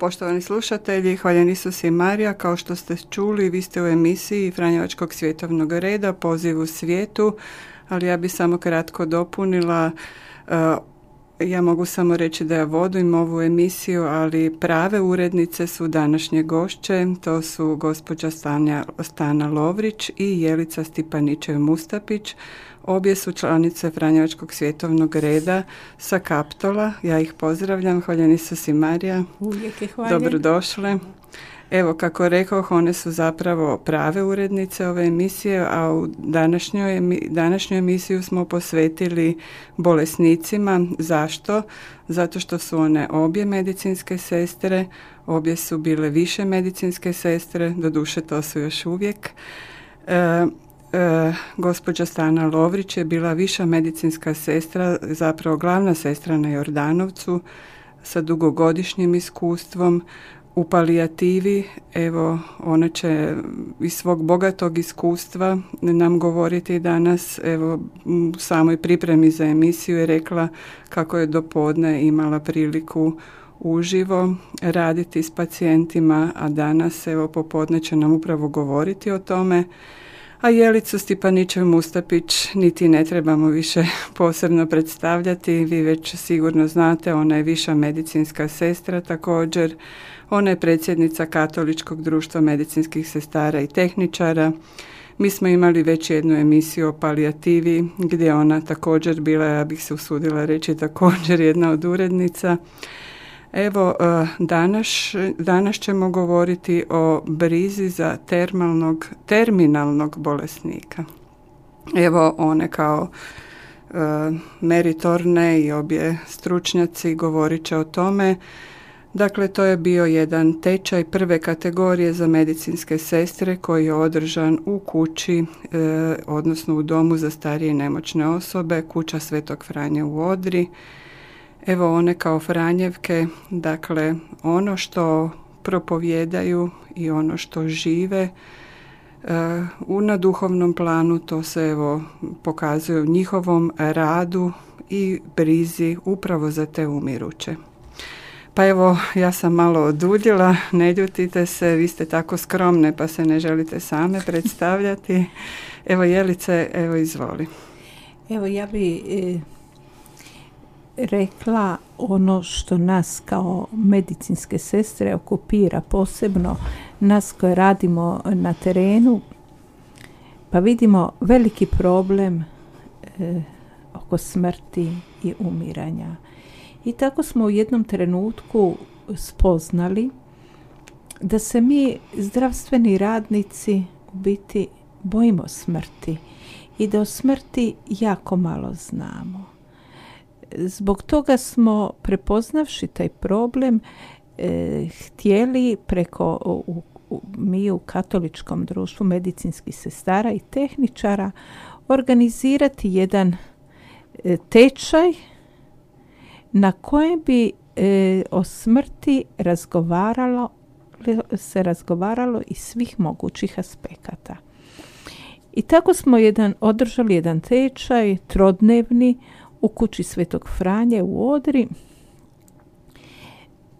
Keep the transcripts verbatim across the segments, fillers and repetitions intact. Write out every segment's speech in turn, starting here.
poštovani slušatelji, hvaljen Isus i Marija. Kao što ste čuli, vi ste u emisiji Franjevačkog svjetovnog reda, Poziv u svijetu, ali ja bi samo kratko dopunila. Ja mogu samo reći da ja vodim ovu emisiju, ali prave urednice su današnje gošće. To su gospođa Stanja, Stana Lovrić i Jelica Stipaničev-Mustapić. Obje su članice Franjevačkog svjetovnog reda sa Kaptola. Ja ih pozdravljam. Hvaljen Isus i Marija. Uvijek je hvaljen. Dobrodošle. Evo, kako rekoh, one su zapravo prave urednice ove emisije, a u današnjoj, današnju emisiju smo posvetili bolesnicima. Zašto? Zato što su one obje medicinske sestre, obje su bile više medicinske sestre, doduše to su još uvijek. E, E, gospođa Stana Lovrić je bila viša medicinska sestra, zapravo glavna sestra na Jordanovcu sa dugogodišnjim iskustvom u palijativi. Evo, ona će iz svog bogatog iskustva nam govoriti danas. Evo, u samoj pripremi za emisiju je rekla kako je do podne imala priliku uživo raditi s pacijentima, a danas, evo, popodne će nam upravo govoriti o tome. A Jelicu Stipaničev-Mustapić niti ne trebamo više posebno predstavljati, vi već sigurno znate, ona je viša medicinska sestra također, ona je predsjednica Katoličkog društva medicinskih sestara i tehničara. Mi smo imali već jednu emisiju o palijativi gdje ona također bila, ja bih se usudila reći, također jedna od urednica. Evo, danas, danas ćemo govoriti o brizi za termalnog, terminalnog bolesnika. Evo, one kao e, meritorne i obje stručnjaci govorit će o tome. Dakle, to je bio jedan tečaj prve kategorije za medicinske sestre koji je održan u kući, e, odnosno u domu za starije i nemoćne osobe, kuća Svetog Franje u Odri. Evo, one kao Franjevke, dakle, ono što propovijedaju i ono što žive uh, na duhovnom planu, to se evo pokazuje u njihovom radu i brizi upravo za te umiruće. Pa evo, ja sam malo oduljila, ne ljutite se, vi ste tako skromne pa se ne želite same predstavljati. Evo, Jelice, evo, izvoli. Evo, ja bi E... rekla ono što nas kao medicinske sestre okupira, posebno nas koje radimo na terenu, pa vidimo veliki problem e, oko smrti i umiranja. I tako smo u jednom trenutku spoznali da se mi, zdravstveni radnici, u biti bojimo smrti i da o smrti jako malo znamo. Zbog toga smo, prepoznavši taj problem, e, htjeli preko u, u, mi u Katoličkom društvu medicinskih sestara i tehničara organizirati jedan e, tečaj na kojem bi e, o smrti razgovaralo, se razgovaralo iz svih mogućih aspekata. I tako smo jedan, održali jedan tečaj trodnevni u kući Svetog Franje u Odri.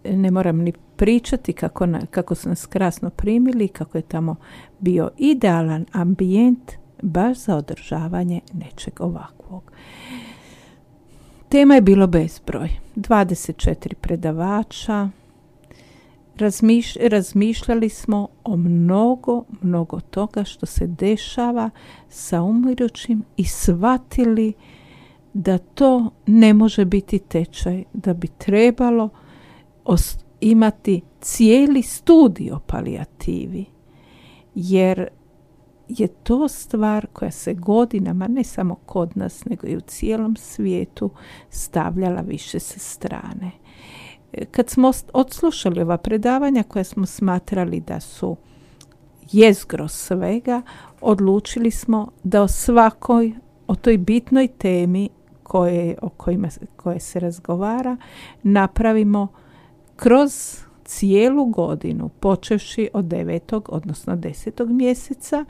Ne moram ni pričati kako, na, kako su nas krasno primili, kako je tamo bio idealan ambijent baš za održavanje nečeg ovakvog. Tema je bilo bezbroj. dvadeset četiri predavača. Razmiš, razmišljali smo o mnogo, mnogo toga što se dešava sa umirućim i shvatili da to ne može biti tečaj, da bi trebalo os- imati cijeli studij o palijativi, jer je to stvar koja se godinama, ne samo kod nas, nego i u cijelom svijetu, stavljala više sa strane. Kad smo odslušali ova predavanja koja smo smatrali da su jezgro svega, odlučili smo da o svakoj, o toj bitnoj temi koje, o kojima, koje se razgovara, napravimo kroz cijelu godinu, počevši od devetog, odnosno desetog mjeseca,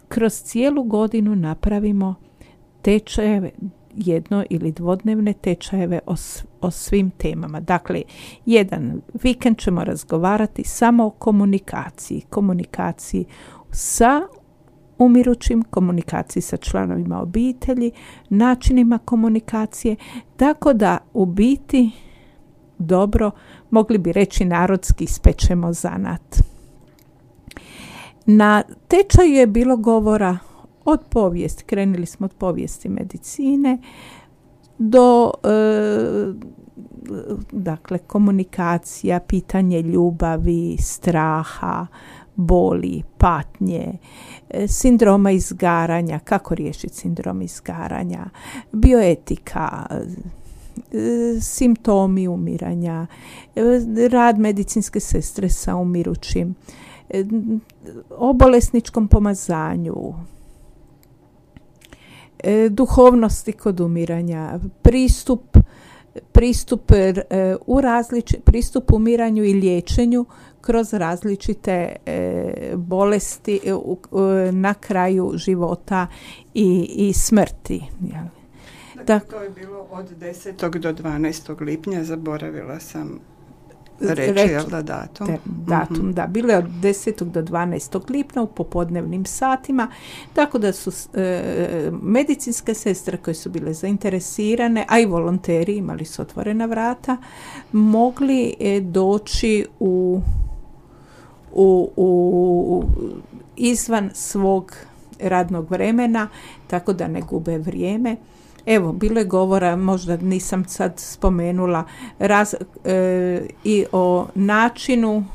kroz cijelu godinu napravimo tečajeve jedno ili dvodnevne tečajeve o, o svim temama. Dakle, jedan vikend ćemo razgovarati samo o komunikaciji. Komunikaciji sa umirućim, komunikaciji sa članovima obitelji, načinima komunikacije, tako da u biti dobro, mogli bi reći narodski, ispečemo zanat. Na tečaju je bilo govora od povijesti, krenuli smo od povijesti medicine do e, dakle komunikacija, pitanje ljubavi, straha, boli, patnje, sindroma izgaranja, kako riješiti sindrom izgaranja, bioetika, simptomi umiranja, rad medicinske sestre sa umirućim, o bolesničkom pomazanju, duhovnosti kod umiranja, pristup pristup u različi, pristup umiranju i liječenju kroz različite e, bolesti e, u, e, na kraju života i, i smrti. Dakle, to je bilo od desetog do dvanaestog lipnja, zaboravila sam reći, reći jel da, datum. Te, datum, mm-hmm. da. Bilo je od desetog do dvanaestog lipnja u popodnevnim satima, tako da su e, medicinske sestre koje su bile zainteresirane, a i volonteri, imali su otvorena vrata, mogli e, doći u, u, u izvan svog radnog vremena, tako da ne gube vrijeme. Evo, bilo je govora, možda nisam sad spomenula, raz, e, i o načinu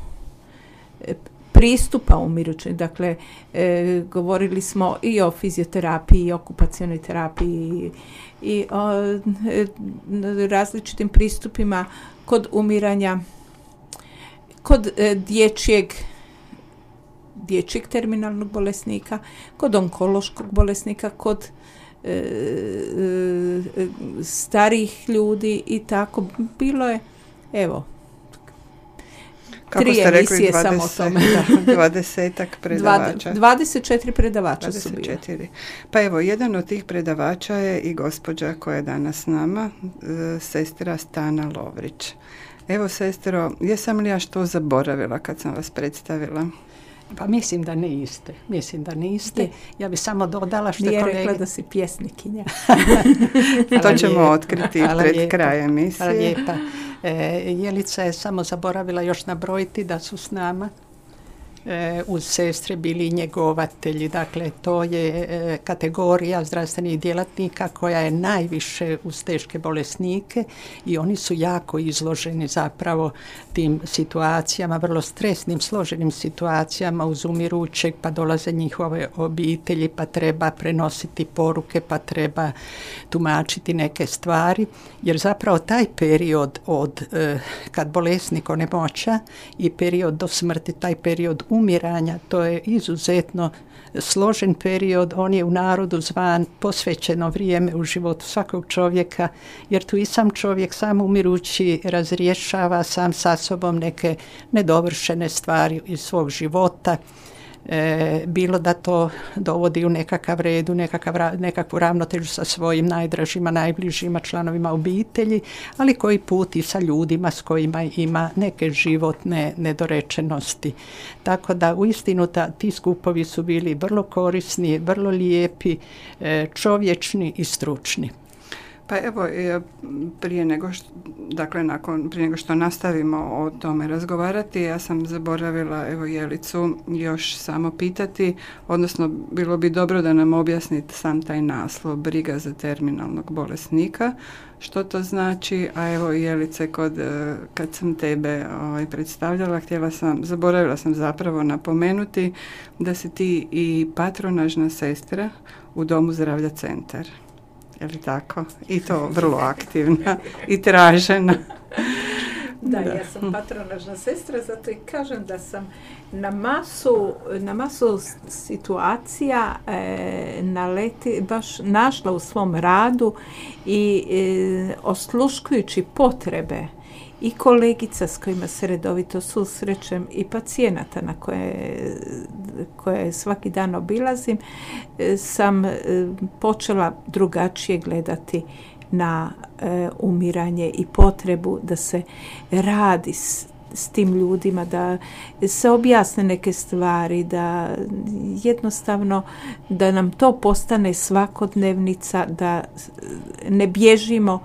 pristupa umirućem. Dakle, e, govorili smo i o fizioterapiji, i okupacionoj terapiji, i o e, različitim pristupima kod umiranja, kod e, dječjeg dječjeg terminalnog bolesnika, kod onkološkog bolesnika, kod e, e, starih ljudi i tako. Bilo je, evo, kako tri ste rekli, emisije dvadeset, samo o tome. dvadesetak predavača. dvadeset četiri predavača dvadeset četiri su bili. Pa evo, jedan od tih predavača je i gospođa koja je danas s nama, sestra Stana Lovrić. Evo, sestro, jesam li ja što zaboravila kad sam vas predstavila? Pa mislim da niste. Mislim da niste. Je. Ja bi samo dodala što Nije kolege... rekla da si pjesnikinja. To ćemo lijepa. otkriti Hvala pred lijepa. krajem emisije. Hvala lijepa. E, Jelica je samo zaboravila još nabrojiti da su s nama e, uz sestre bili njegovatelji. Dakle, to je e, kategorija zdravstvenih djelatnika koja je najviše uz teške bolesnike i oni su jako izloženi zapravo tim situacijama, vrlo stresnim, složenim situacijama uz umirućeg, pa dolaze njihove obitelji, pa treba prenositi poruke, pa treba tumačiti neke stvari, jer zapravo taj period od e, kad bolesnik onemoća i period do smrti, taj period umiranja, to je izuzetno složen period, on je u narodu zvan posvećeno vrijeme u životu svakog čovjeka, jer tu i sam čovjek, sam umirući, razrješava sam sa sobom neke nedovršene stvari iz svog života. E, bilo da to dovodi u nekakav redu, nekakav, nekakvu ravnotežu sa svojim najdražima, najbližima članovima obitelji, ali koji put i sa ljudima s kojima ima neke životne nedorečenosti. Tako da uistinu ta, ti skupovi su bili vrlo korisni, vrlo lijepi, e, čovječni i stručni. Pa evo, prije nego što, dakle, nakon, prije nego što nastavimo o tome razgovarati, ja sam zaboravila, evo, Jelicu još samo pitati, odnosno bilo bi dobro da nam objasnite sam taj naslov, briga za terminalnog bolesnika, što to znači, a evo, Jelice, kod, kad sam tebe ovaj, predstavljala, htjela sam, zaboravila sam zapravo napomenuti da si ti i patronažna sestra u Domu zdravlja Centar. Je li tako? I to vrlo aktivna i tražena. Da, da, ja sam patronažna sestra, zato i kažem da sam na masu, na masu situacija e, naleti, baš našla u svom radu i e, osluškujući potrebe i kolegica s kojima se redovito susrećem i pacijenata na koje koje svaki dan obilazim, sam počela drugačije gledati na e, umiranje i potrebu da se radi s, s tim ljudima, da se objasne neke stvari, da jednostavno da nam to postane svakodnevnica, da ne bježimo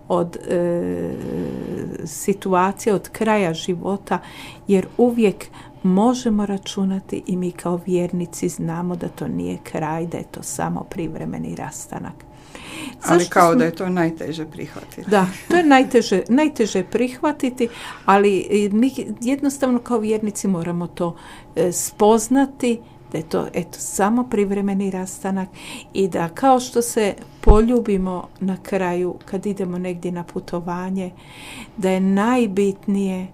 od e, situacije, od kraja života, jer uvijek možemo računati i mi kao vjernici znamo da to nije kraj, da je to samo privremeni rastanak. Ali Zašto kao smo... da je to najteže prihvatiti. Da, to je najteže, najteže prihvatiti, ali mi jednostavno kao vjernici moramo to e, spoznati, da je to eto, samo privremeni rastanak i da kao što se poljubimo na kraju kad idemo negdje na putovanje, da je najbitnije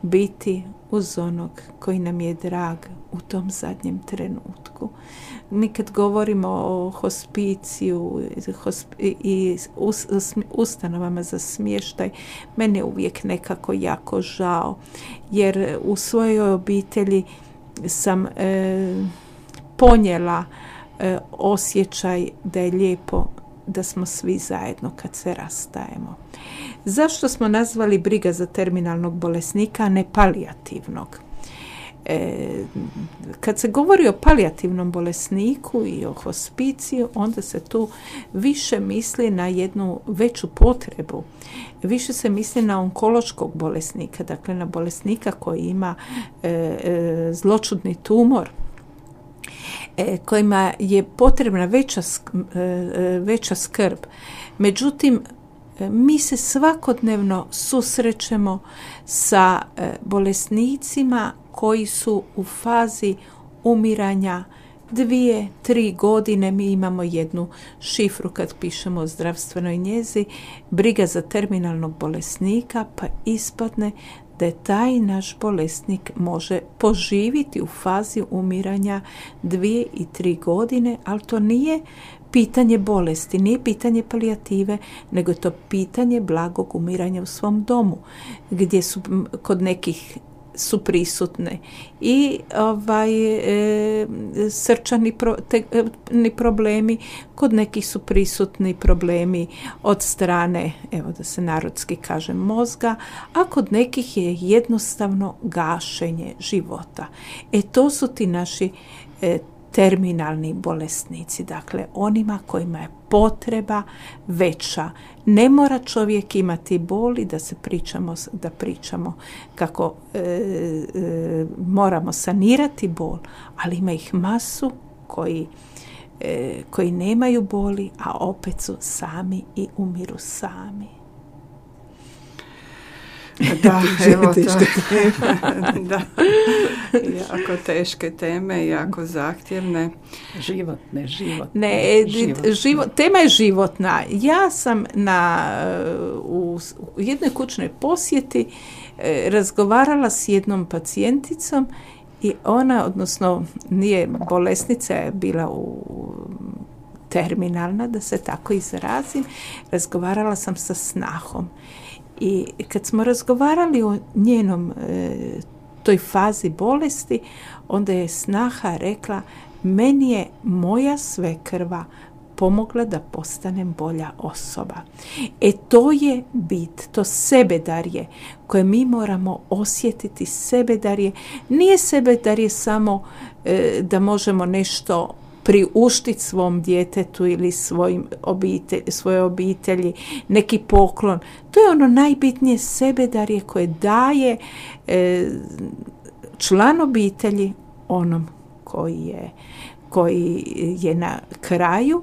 biti uz onog koji nam je drag u tom zadnjem trenutku. Mi kad govorimo o hospiciju i ustanovama za smještaj, meni je uvijek nekako jako žao, jer u svojoj obitelji sam e, ponijela e, osjećaj da je lijepo da smo svi zajedno kad se rastajemo. Zašto smo nazvali briga za terminalnog bolesnika, a ne palijativnog? E, kad se govori o palijativnom bolesniku i o hospiciju, onda se tu više misli na jednu veću potrebu. Više se misli na onkološkog bolesnika, dakle na bolesnika koji ima e, e, zloćudni tumor, e, kojima je potrebna veća, e, veća skrb. Međutim, mi se svakodnevno susrećemo sa e, bolesnicima koji su u fazi umiranja dvije, tri godine. Mi imamo jednu šifru kad pišemo o zdravstvenoj njezi, briga za terminalnog bolesnika, pa ispadne da je taj naš bolesnik može poživiti u fazi umiranja dvije i tri godine, ali to nije pitanje bolesti, nije pitanje palijative, nego je to pitanje blagog umiranja u svom domu, gdje su kod nekih su prisutne i ovaj, e, srčani pro, te, e, problemi, kod nekih su prisutni problemi od strane, evo da se narodski kaže, mozga, a kod nekih je jednostavno gašenje života. E to su ti naši e, terminalni bolesnici, dakle onima kojima je potreba veća. Ne mora čovjek imati bol i da se pričamo, da pričamo kako e, e, moramo sanirati bol, ali ima ih masu koji, e, koji nemaju boli, a opet su sami i umiru sami. Da, evo to. Da. Jako teške teme, jako zahtjevne. Životne, životne. Ne, životne. Život, tema je životna. Ja sam na, u, u jednoj kućnoj posjeti e, razgovarala s jednom pacijenticom i ona, odnosno nije bolesnica, je bila u terminalna, da se tako izrazim. Razgovarala sam sa snahom. I kad smo razgovarali o njenom e, toj fazi bolesti, onda je snaha rekla, meni je moja svekrva pomogla da postanem bolja osoba. E to je bit, to sebedarje koje mi moramo osjetiti. Sebedarje nije sebedarje samo e, da možemo nešto priuštiti svom djetetu ili svojim obitelj, svoje obitelji, neki poklon. To je ono najbitnije sebedarje koje daje e, član obitelji onom koji je, koji je na kraju,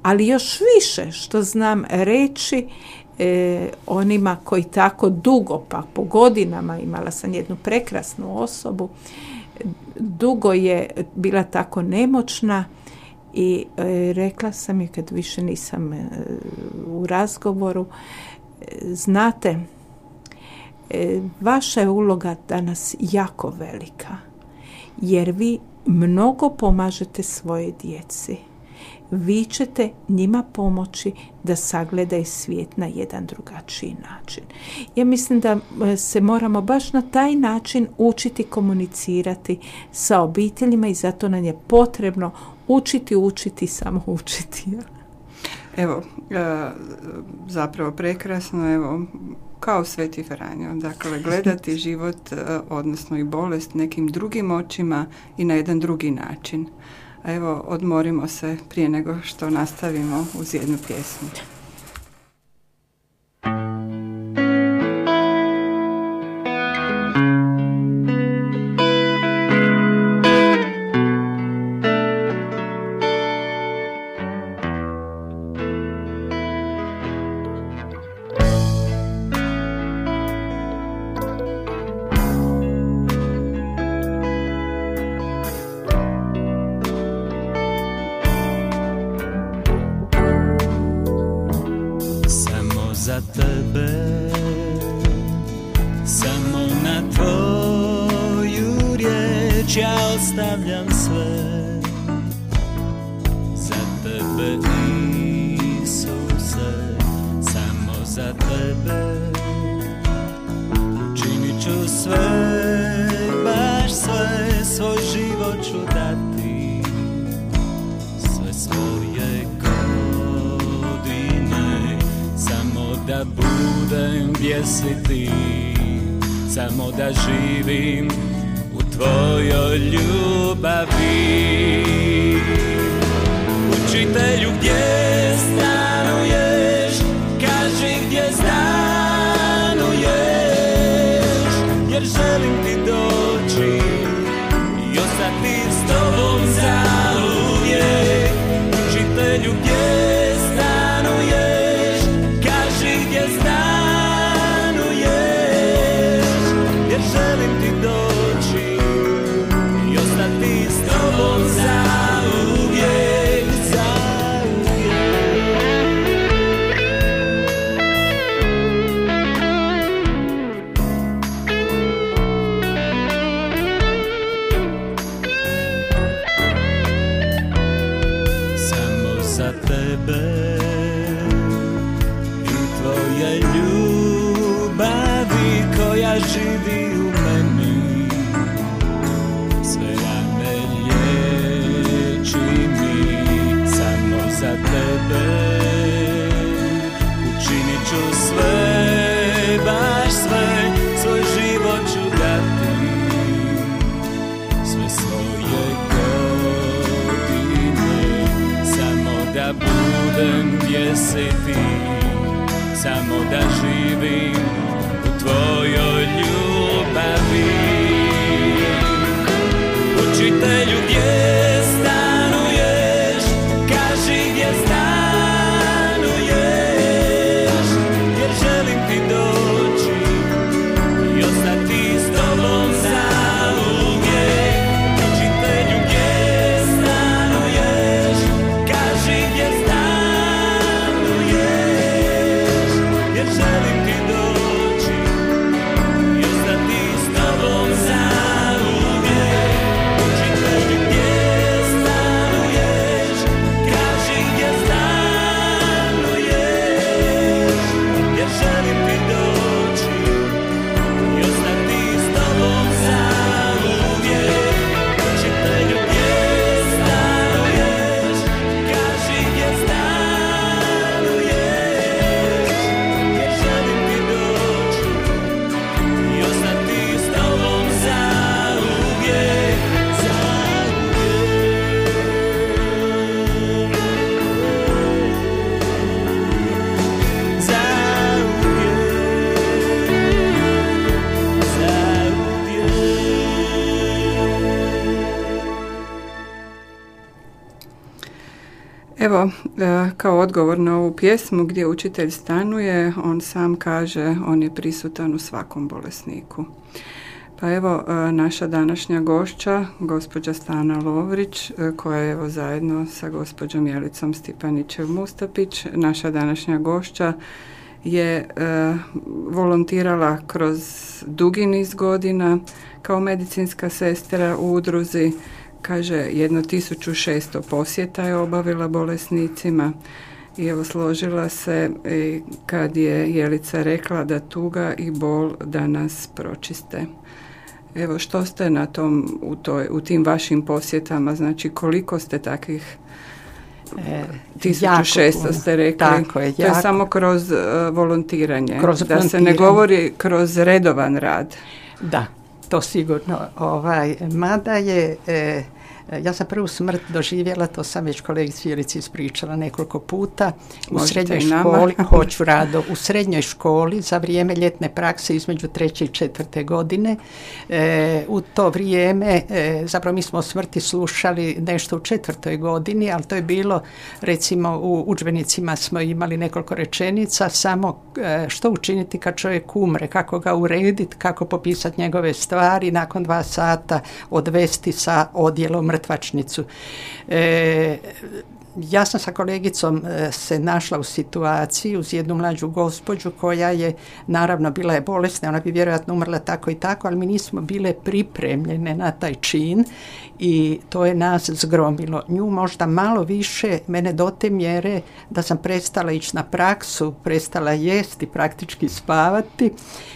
ali još više što znam reći e, onima koji tako dugo, pa po godinama, imala sam jednu prekrasnu osobu, dugo je bila tako nemoćna i e, rekla sam je kad više nisam e, u razgovoru, e, znate, e, vaša je uloga danas jako velika, jer vi mnogo pomažete svoje djeci. vi ćete njima pomoći da sagledaju svijet na jedan drugačiji način. Ja mislim da se moramo baš na taj način učiti komunicirati sa obiteljima i zato nam je potrebno učiti, učiti, samo učiti. Evo, zapravo prekrasno, evo, kao Sveti Franjo, dakle, gledati život, odnosno i bolest nekim drugim očima i na jedan drugi način. A evo, odmorimo se prije nego što nastavimo uz jednu pjesmu. Za tebe, samo na tvoju riječ ja ostavljam sve. Za tebe, Isuse, samo za tebe činit ću sve, baš sve, svoj život ću dati, sve svoje godine, samo da budem gdje si ti, samo da živim u tvojoj ljubavi. Učitelju, gdje stanuješ, kaži gdje stanuješ, jer želim ti doći i ostati s tobom zauvijek. Učitelju, gdje stanuješ, kaži gdje stanuješ, jer želim ti doći i ostati s tobom zauvijek, zauvijek. Samo za tebe i tvoje ljubavi koja živi u meni, sve rane liječi mi. Samo za tebe učinit ću sve, baš sve, svoj život ću dati, sve svoje godine, samo da budem gdje si ti, samo da živim u tvojoj ljubavi. Učitelju, gdje stanuješ, kaži gdje stanuješ, jer želim ti doći i ostati s tobom zauvijek. Učitelju, gdje stanuješ, kaži gdje stanuješ, jer želim ti doći i ostati s tobom zauvijek. Učitelju, gdje stanuješ, kaži gdje stanuješ, jer želim ti doći i ostati s tobom zauvijek. Učitelju, gdje stanuješ, kaži gdje stanuješ, jer želim ti doći i ostati s tobom zauvijek, Evo, kao odgovor na ovu pjesmu gdje učitelj stanuje, on sam kaže, on je prisutan u svakom bolesniku. Pa evo, naša današnja gošća, gospođa Stana Lovrić, koja je evo zajedno sa gospođom Jelicom Stipanićev-Mustapić, naša današnja gošća je e, volontirala kroz dugi niz godina kao medicinska sestra u udruzi, kaže, jedno tisuću šesto posjeta je obavila bolesnicima i evo složila se i kad je Jelica rekla da tuga i bol da nas pročiste. Evo, što ste na tom, u, toj, u tim vašim posjetama, znači koliko ste takvih E, tisuću šesto ste rekli, tako je, to je jako. samo kroz uh, volontiranje, Kroz da volontiranje. se ne govori kroz redovan rad. Da, to sigurno. Ovaj, mada je, e, ja sam prvu smrt doživjela, to sam već kolegici Jelici ispričala nekoliko puta, u Možete srednjoj i nama. školi, hoću rado, u srednjoj školi za vrijeme ljetne prakse između treće i četvrte godine. E, u to vrijeme, e, zapravo mi smo o smrti slušali nešto u četvrtoj godini, ali to je bilo, recimo u udžbenicima smo imali nekoliko rečenica, samo e, što učiniti kad čovjek umre, kako ga urediti, kako popisati njegove stvari, nakon dva sata odvesti sa odjelom mrtvačnicu. E, ja sam sa kolegicom e, se našla u situaciji uz jednu mlađu gospođu koja je, naravno, bila je bolesna, ona bi vjerojatno umrla tako i tako, ali mi nismo bile pripremljene na taj čin i to je nas zgromilo. Nju možda malo više, mene do te mjere da sam prestala ići na praksu, prestala jesti, praktički spavati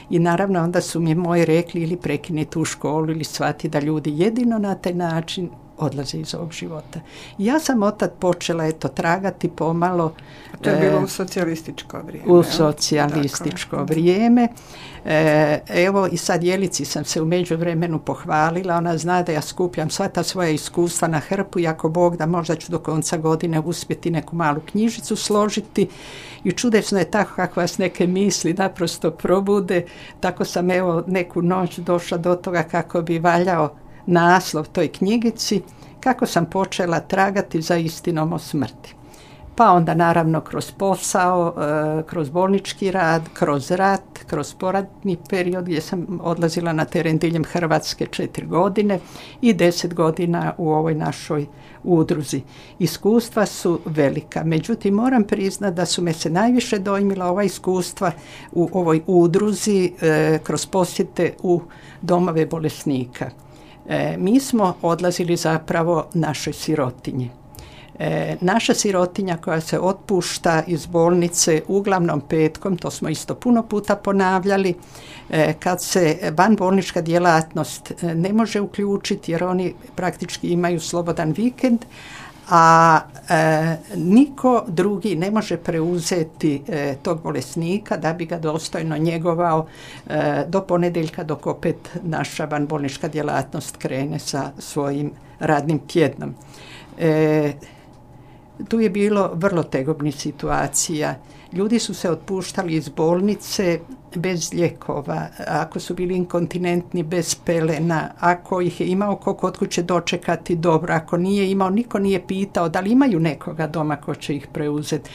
i naravno onda su mi moji rekli ili prekini tu školu ili shvati da ljudi jedino na taj način odlaze iz ovog života. Ja sam otad počela eto tragati pomalo. To je e, bilo u socijalističko vrijeme. U socijalističko dakle. vrijeme. E, evo i sad Jelici sam se u međuvremenu pohvalila, ona zna da ja skupljam sva ta svoja iskustva na hrpu i ako Bog da možda ću do konca godine uspjeti neku malu knjižicu složiti i čudesno je tako kako vas neke misli naprosto probude, tako sam evo neku noć došla do toga kako bi valjao naslov toj knjigici, kako sam počela tragati za istinom o smrti. Pa onda naravno kroz posao, kroz bolnički rad, kroz rat, kroz poratni period gdje sam odlazila na teren diljem Hrvatske četiri godine i deset godina u ovoj našoj udruzi. Iskustva su velika, međutim moram priznati da su me se najviše dojmila ova iskustva u ovoj udruzi kroz posjete u domove bolesnika. E, mi smo odlazili zapravo našoj sirotinji. E, naša sirotinja koja se otpušta iz bolnice uglavnom petkom, to smo isto puno puta ponavljali, e, kad se vanbolnička djelatnost ne može uključiti jer oni praktički imaju slobodan vikend, a e, niko drugi ne može preuzeti e, tog bolesnika da bi ga dostojno njegovao e, do ponedjeljka dok opet naša vanbolnička djelatnost krene sa svojim radnim tjednom. E, tu je bilo vrlo tegobnih situacija. Ljudi su se otpuštali iz bolnice bez lijekova, ako su bili inkontinentni bez pelena, ako ih je imao ko kod kuće dočekati dobro, ako nije imao, niko nije pitao da li imaju nekoga doma ko će ih preuzeti.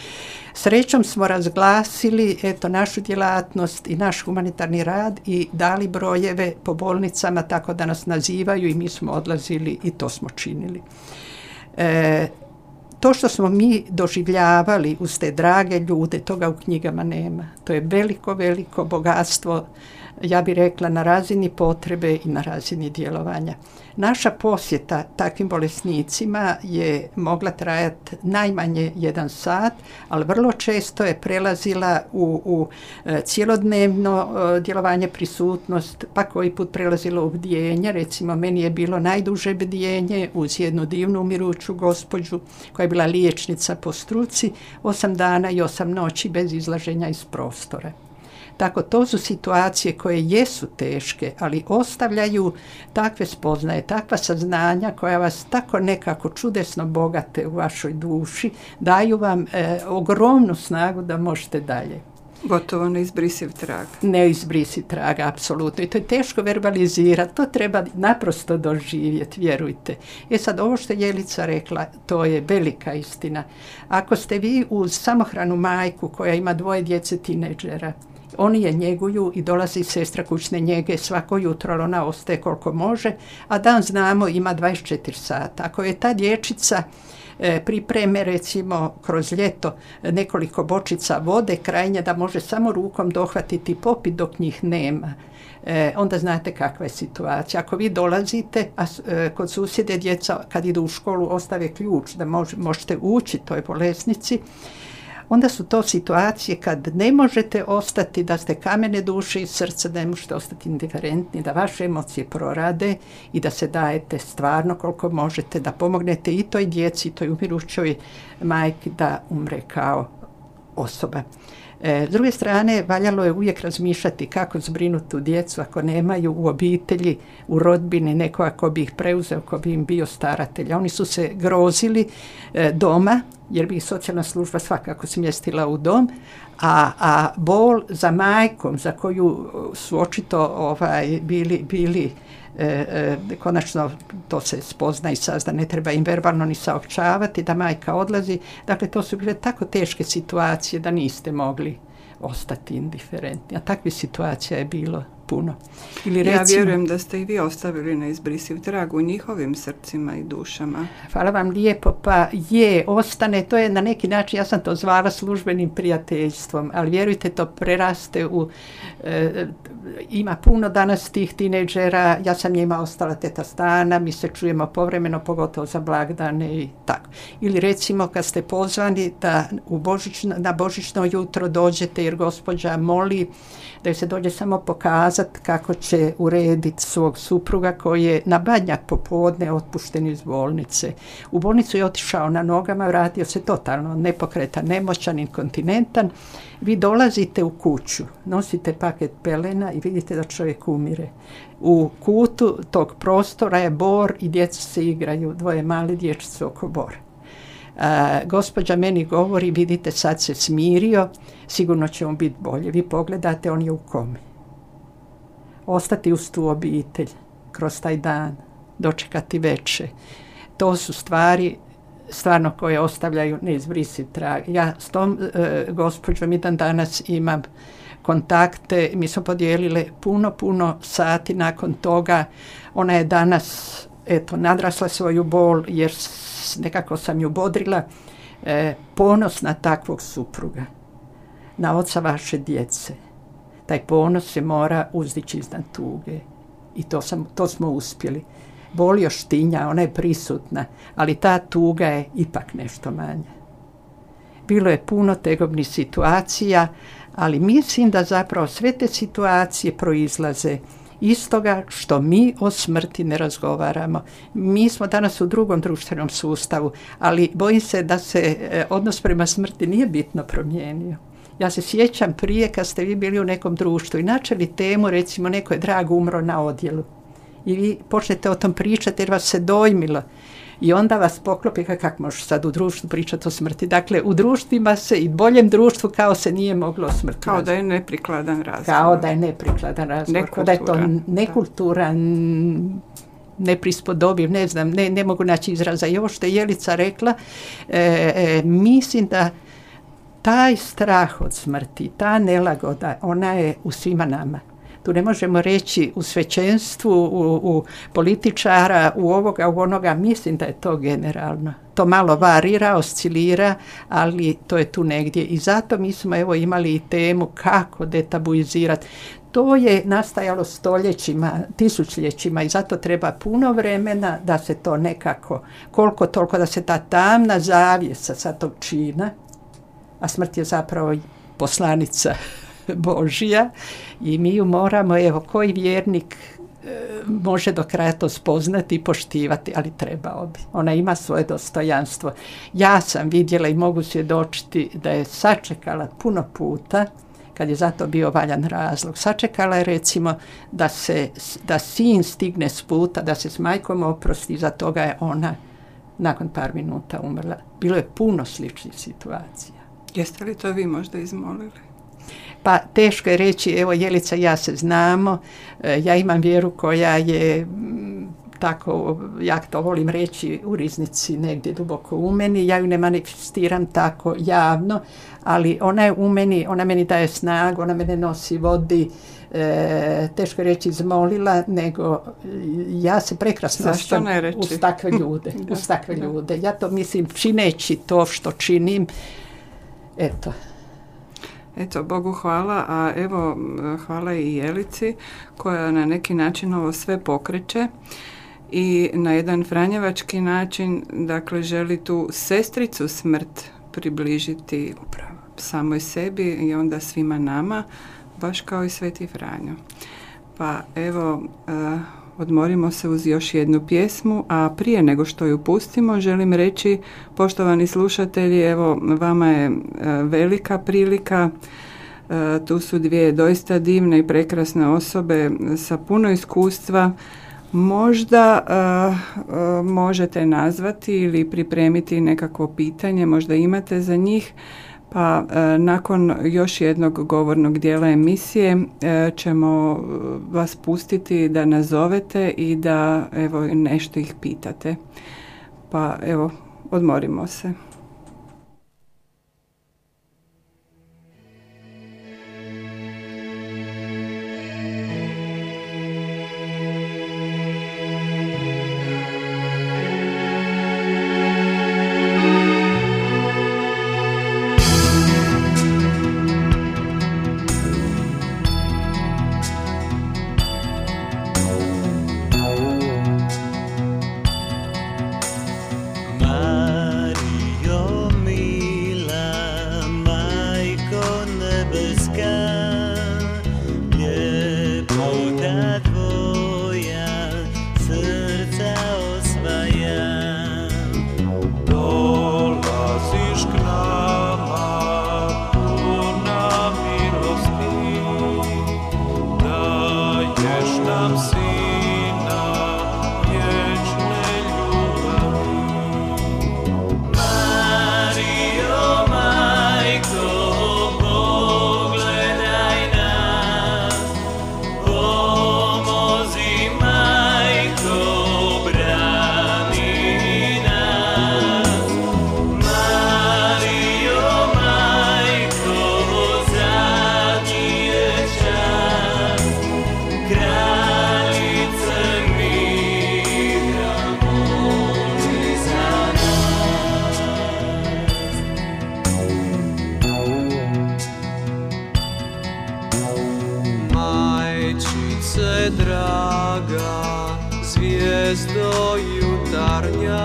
Srećom smo razglasili eto našu djelatnost i naš humanitarni rad i dali brojeve po bolnicama tako da nas nazivaju i mi smo odlazili i to smo činili. E, To što smo mi doživljavali uz te drage ljude, toga u knjigama nema. To je veliko, veliko bogatstvo, ja bih rekla, na razini potrebe i na razini djelovanja. Naša posjeta takvim bolesnicima je mogla trajati najmanje jedan sat, ali vrlo često je prelazila u, u cjelodnevno djelovanje, prisutnost, pa koji put prelazilo u bdjenje. Recimo, meni je bilo najduže bdjenje uz jednu divnu umiruću gospođu koja je bila liječnica po struci, osam dana i osam noći bez izlaženja iz prostora. Tako, to su situacije koje jesu teške, ali ostavljaju takve spoznaje, takva saznanja koja vas tako nekako čudesno bogate u vašoj duši, daju vam e, ogromnu snagu da možete dalje. Gotovo neizbrisiv trag. Neizbrisiv trag, apsolutno. I to je teško verbalizirati, to treba naprosto doživjeti, vjerujte. E sad, ovo što je Jelica rekla, to je velika istina. Ako ste vi uz samohranu majku koja ima dvoje djece tineđera Oni je njeguju i dolazi sestra kućne njege svako jutro, ona ostaje koliko može, a dan znamo ima dvadeset četiri sata. Ako je ta dječica e, pripreme recimo kroz ljeto nekoliko bočica vode krajnje da može samo rukom dohvatiti i popiti dok njih nema, e, onda znate kakva je situacija. Ako vi dolazite, a e, kod susjede djeca kad idu u školu ostave ključ da mož, možete ući toj bolesnici, onda su to situacije kad ne možete ostati, da ste kamene duše i srca, da ne možete ostati indiferentni, da vaše emocije prorade i da se dajete stvarno koliko možete, da pomognete i toj djeci, i toj umirućoj majki da umre kao osoba. E, s druge strane, valjalo je uvijek razmišljati kako zbrinuti tu djecu ako nemaju u obitelji, u rodbini nekoga ko bi ih preuzeo, ko bi im bio staratelj. Oni su se grozili e, doma, jer bi ih socijalna služba svakako smjestila u dom, a, a bol za majkom, za koju su očito ovaj, bili, bili E, e, konačno to se spozna i sazna, ne treba im verbalno ni saopćavati da majka odlazi. Dakle, to su bile tako teške situacije da niste mogli ostati indiferentni. A takvih situacija je bilo puno. Ili recimo, ja vjerujem da ste i vi ostavili neizbrisiv trag u njihovim srcima i dušama. Hvala vam lijepo. Pa je, ostane, to je na neki način, ja sam to zvala službenim prijateljstvom, ali vjerujte, to preraste u e, ima puno danas tih tinejdžera, ja sam njima ostala teta Stana, mi se čujemo povremeno, pogotovo za blagdane i tako. Ili recimo kad ste pozvani da u božićno, na božićno jutro dođete jer gospođa moli da joj se dođe samo pokazati kako će urediti svog supruga koji je na Badnjak popodne otpušten iz bolnice. U bolnicu je otišao na nogama, vratio se totalno nepokretan, nemoćan, inkontinentan. Vi dolazite u kuću, nosite paket pelena i vidite da čovjek umire. U kutu tog prostora je bor i djeca se igraju, dvoje mali dječice oko bora. A, gospođa meni govori, vidite sad se smirio, sigurno će on biti bolje. Vi pogledate, on je u komi. Ostati uz tu obitelj kroz taj dan, dočekati veče, to su stvari stvarno koje ostavljaju neizbrisiv trag. Ja s tom e, gospođom i dan danas imam kontakte, mi smo podijelile puno, puno sati nakon toga. Ona je danas eto, nadrasla svoju bol jer nekako sam ju bodrila, e, ponosna takvog supruga, na oca vaše djece. Taj ponos se mora uzdići iznad tuge i to, sam, to smo uspjeli. Bol još tinja, ona je prisutna, ali ta tuga je ipak nešto manja. Bilo je puno tegobnih situacija, ali mislim da zapravo sve te situacije proizlaze iz toga što mi o smrti ne razgovaramo. Mi smo danas u drugom društvenom sustavu, ali bojim se da se odnos prema smrti nije bitno promijenio. Ja se sjećam prije kad ste vi bili u nekom društvu i načeli temu, recimo neko je drag umro na odjelu. I vi počnete o tom pričati jer vas se dojmilo. I onda vas poklopi kako možeš sad u društvu pričati o smrti. Dakle, u društvima se i boljem društvu kao se nije moglo o smrti. Kao da je neprikladan razgovor. Kao da je neprikladan razgovor. Kao da je to nekulturan, neprispodobiv, ne znam, ne, ne mogu naći izraza. I ovo što je Jelica rekla, e, e, mislim da taj strah od smrti, ta nelagoda, ona je u svima nama. Tu ne možemo reći u svećenstvu, u, u političara, u ovoga, u onoga, mislim da je to generalno. To malo varira, oscilira, ali to je tu negdje. I zato mi smo evo imali i temu kako detabuizirati. To je nastajalo stoljećima, tisućljećima i zato treba puno vremena da se to nekako, koliko toliko da se ta tamna zavjesa sa tog čina, a smrt je zapravo poslanica Božja i mi ju moramo, evo, koji vjernik e, može do kraja to spoznati i poštivati, ali trebao bi. Ona ima svoje dostojanstvo. Ja sam vidjela i mogu svjedočiti da je sačekala puno puta, kad je zato bio valjan razlog. Sačekala je recimo da, se, da sin stigne s puta, da se s majkom oprosti, za toga je ona nakon par minuta umrla. Bilo je puno sličnih situacija. Jeste li to vi možda izmolili? Pa teško je reći, evo Jelica i ja se znamo, ja imam vjeru koja je tako, ja to volim reći, u riznici negdje duboko u meni. Ja ju ne manifestiram tako javno, ali ona je u meni, ona meni daje snagu, ona mene nosi, vodi, e, teško je reći izmolila, nego ja se prekrasno Zašto ne reći? uz takve ljude. Da, uz takve da. ljude. Ja to mislim, čineći to što činim, eto. Eto, Bogu hvala, a evo hvala i Jelici koja na neki način ovo sve pokreće i na jedan franjevački način, dakle, želi tu sestricu smrt približiti samoj sebi i onda svima nama, baš kao i Sveti Franjo. Pa evo, uh, odmorimo se uz još jednu pjesmu, a prije nego što ju pustimo, želim reći, poštovani slušatelji, evo, vama je uh, velika prilika. Uh, tu su dvije doista divne i prekrasne osobe sa puno iskustva. Možda uh, uh, možete nazvati ili pripremiti nekakvo pitanje, možda imate za njih, pa uh, nakon još jednog govornog dijela emisije uh, ćemo vas pustiti da nazovete i da evo nešto ih pitate. Pa evo, odmorimo se. Mario,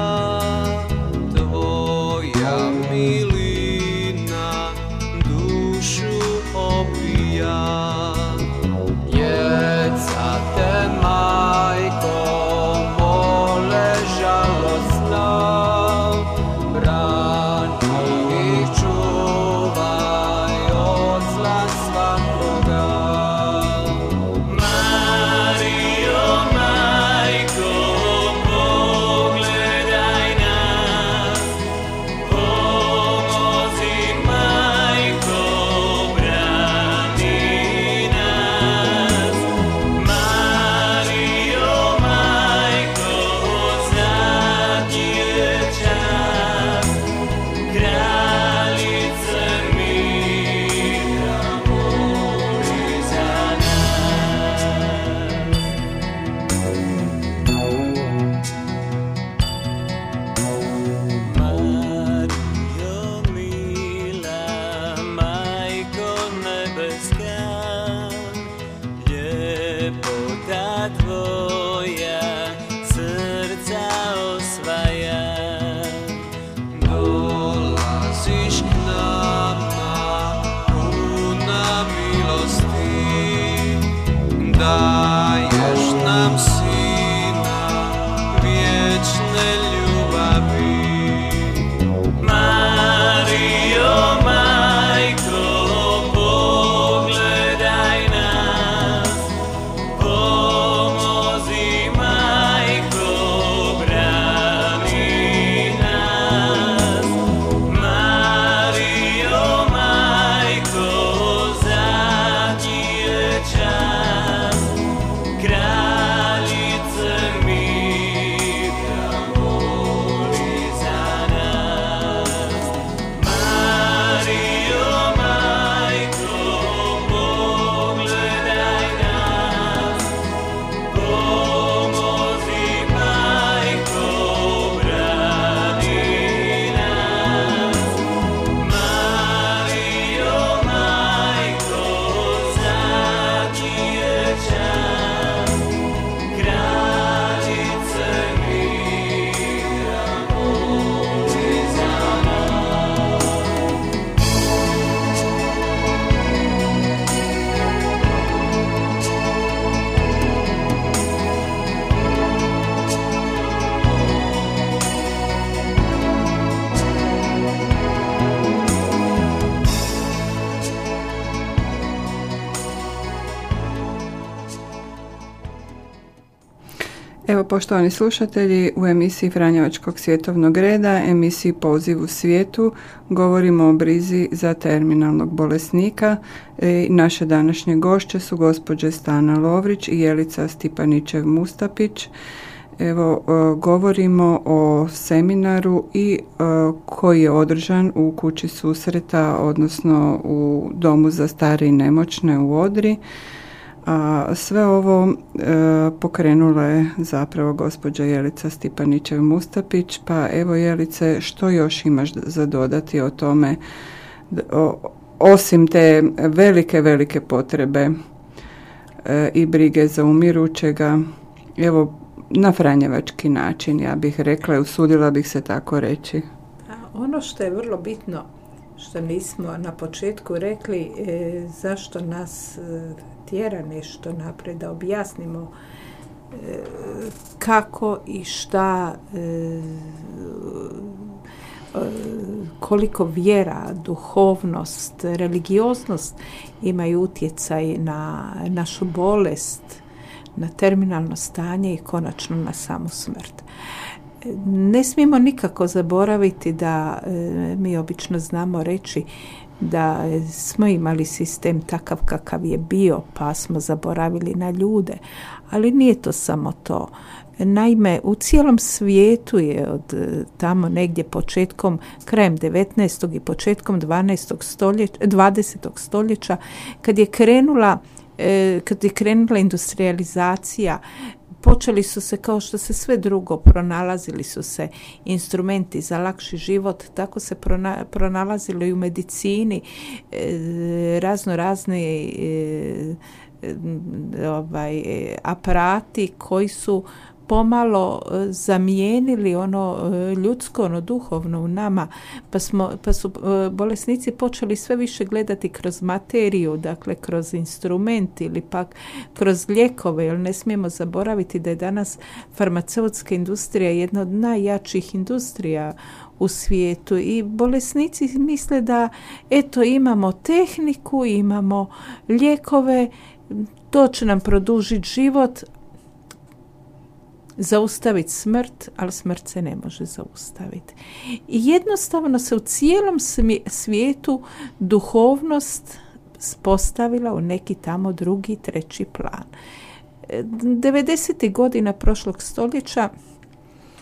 Evo, poštovani slušatelji, u emisiji Franjevačkog svjetovnog reda, emisiji Poziv u svijetu, govorimo o brizi za terminalnog bolesnika. E, naše današnje gošće su gospođe Stana Lovrić i Jelica Stipaničev-Mustapić. Evo, e, govorimo o seminaru i e, koji je održan u kući susreta, odnosno u Domu za stare i nemoćne u Odri. A sve ovo e, pokrenula je zapravo gospođa Jelica Stipaničev-Mustapić. Pa evo, Jelice, što još imaš za dodati o tome, o, osim te velike, velike potrebe e, i brige za umirućega, evo, na franjevački način, ja bih rekla i usudila bih se tako reći. Ono što je vrlo bitno, što nismo na početku rekli, e, zašto nas e, tjera nešto naprijed, da objasnimo e, kako i šta, e, e, koliko vjera, duhovnost, religioznost imaju utjecaj na našu bolest, na terminalno stanje i konačno na samu smrt. Ne smijemo nikako zaboraviti da e, mi obično znamo reći da smo imali sistem takav kakav je bio, pa smo zaboravili na ljude, ali nije to samo to. Naime, u cijelom svijetu je od tamo negdje početkom, krajem devetnaestog i početkom dvanaestog stoljeća, dvadesetog stoljeća, kad je krenula, e, kad je krenula industrializacija, počeli su se, kao što se sve drugo, pronalazili su se instrumenti za lakši život, tako se prona, pronalazilo i u medicini e, razno razne e, ovaj, aparati koji su pomalo zamijenili ono ljudsko, ono duhovno u nama, pa, smo, pa su bolesnici počeli sve više gledati kroz materiju, dakle kroz instrument ili pak kroz lijekove, jer ne smijemo zaboraviti da je danas farmaceutska industrija jedna od najjačih industrija u svijetu i bolesnici misle da eto imamo tehniku, imamo lijekove, to će nam produžiti život, zaustaviti smrt, ali smrt se ne može zaustaviti. I jednostavno se u cijelom svijetu duhovnost postavila u neki tamo drugi, treći plan. devedesetih godina prošlog stoljeća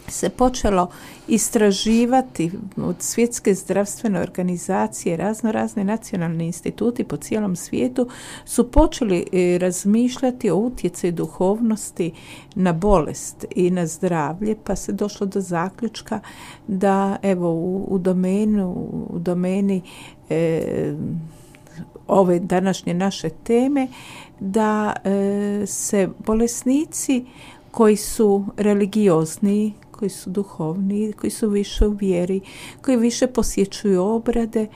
se počelo istraživati od Svjetske zdravstvene organizacije, razno razne nacionalni instituti po cijelom svijetu su počeli razmišljati o utjecaju duhovnosti na bolest i na zdravlje, pa se došlo do zaključka da evo u, u domenu u domeni e, ove današnje naše teme da e, se bolesnici koji su religiozni, koji su duhovni, koji su više u vjeri, koji više posjećuju obrade,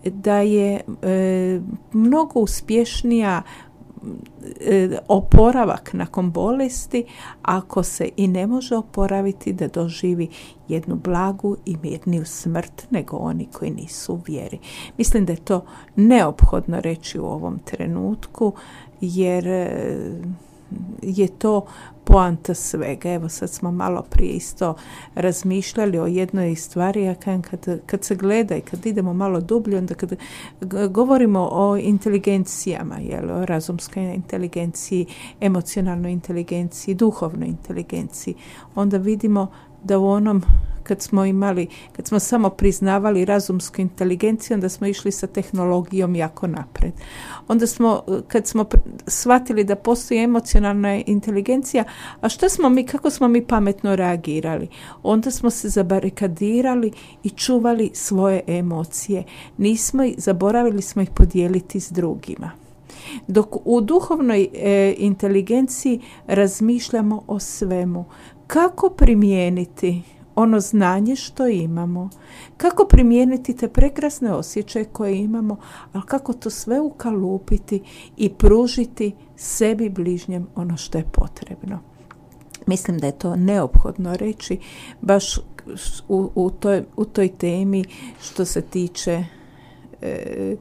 da je e, mnogo uspješnija e, oporavak nakon bolesti, ako se i ne može oporaviti, da doživi jednu blagu i mirniju smrt nego oni koji nisu u vjeri. Mislim da je to neophodno reći u ovom trenutku, jer e, je to poanta svega. Evo sad smo malo prije isto razmišljali o jednoj stvari, a kad, kad se gleda i kad idemo malo dublje, onda kad govorimo o inteligencijama, jel, o razumskoj inteligenciji, emocionalnoj inteligenciji, duhovnoj inteligenciji, onda vidimo da u onom kad smo imali, kad smo samo priznavali razumsku inteligenciju, onda smo išli sa tehnologijom jako napred. Onda smo, kad smo shvatili da postoji emocionalna inteligencija, a što smo mi, kako smo mi pametno reagirali? Onda smo se zabarikadirali i čuvali svoje emocije. Nismo ih, zaboravili smo ih podijeliti s drugima. Dok u duhovnoj e, inteligenciji razmišljamo o svemu. Kako primijeniti ono znanje što imamo, kako primijeniti te prekrasne osjećaje koje imamo, ali kako to sve ukalupiti i pružiti sebi bližnjem ono što je potrebno. Mislim da je to neophodno reći baš u, u, toj, u toj temi što se tiče e,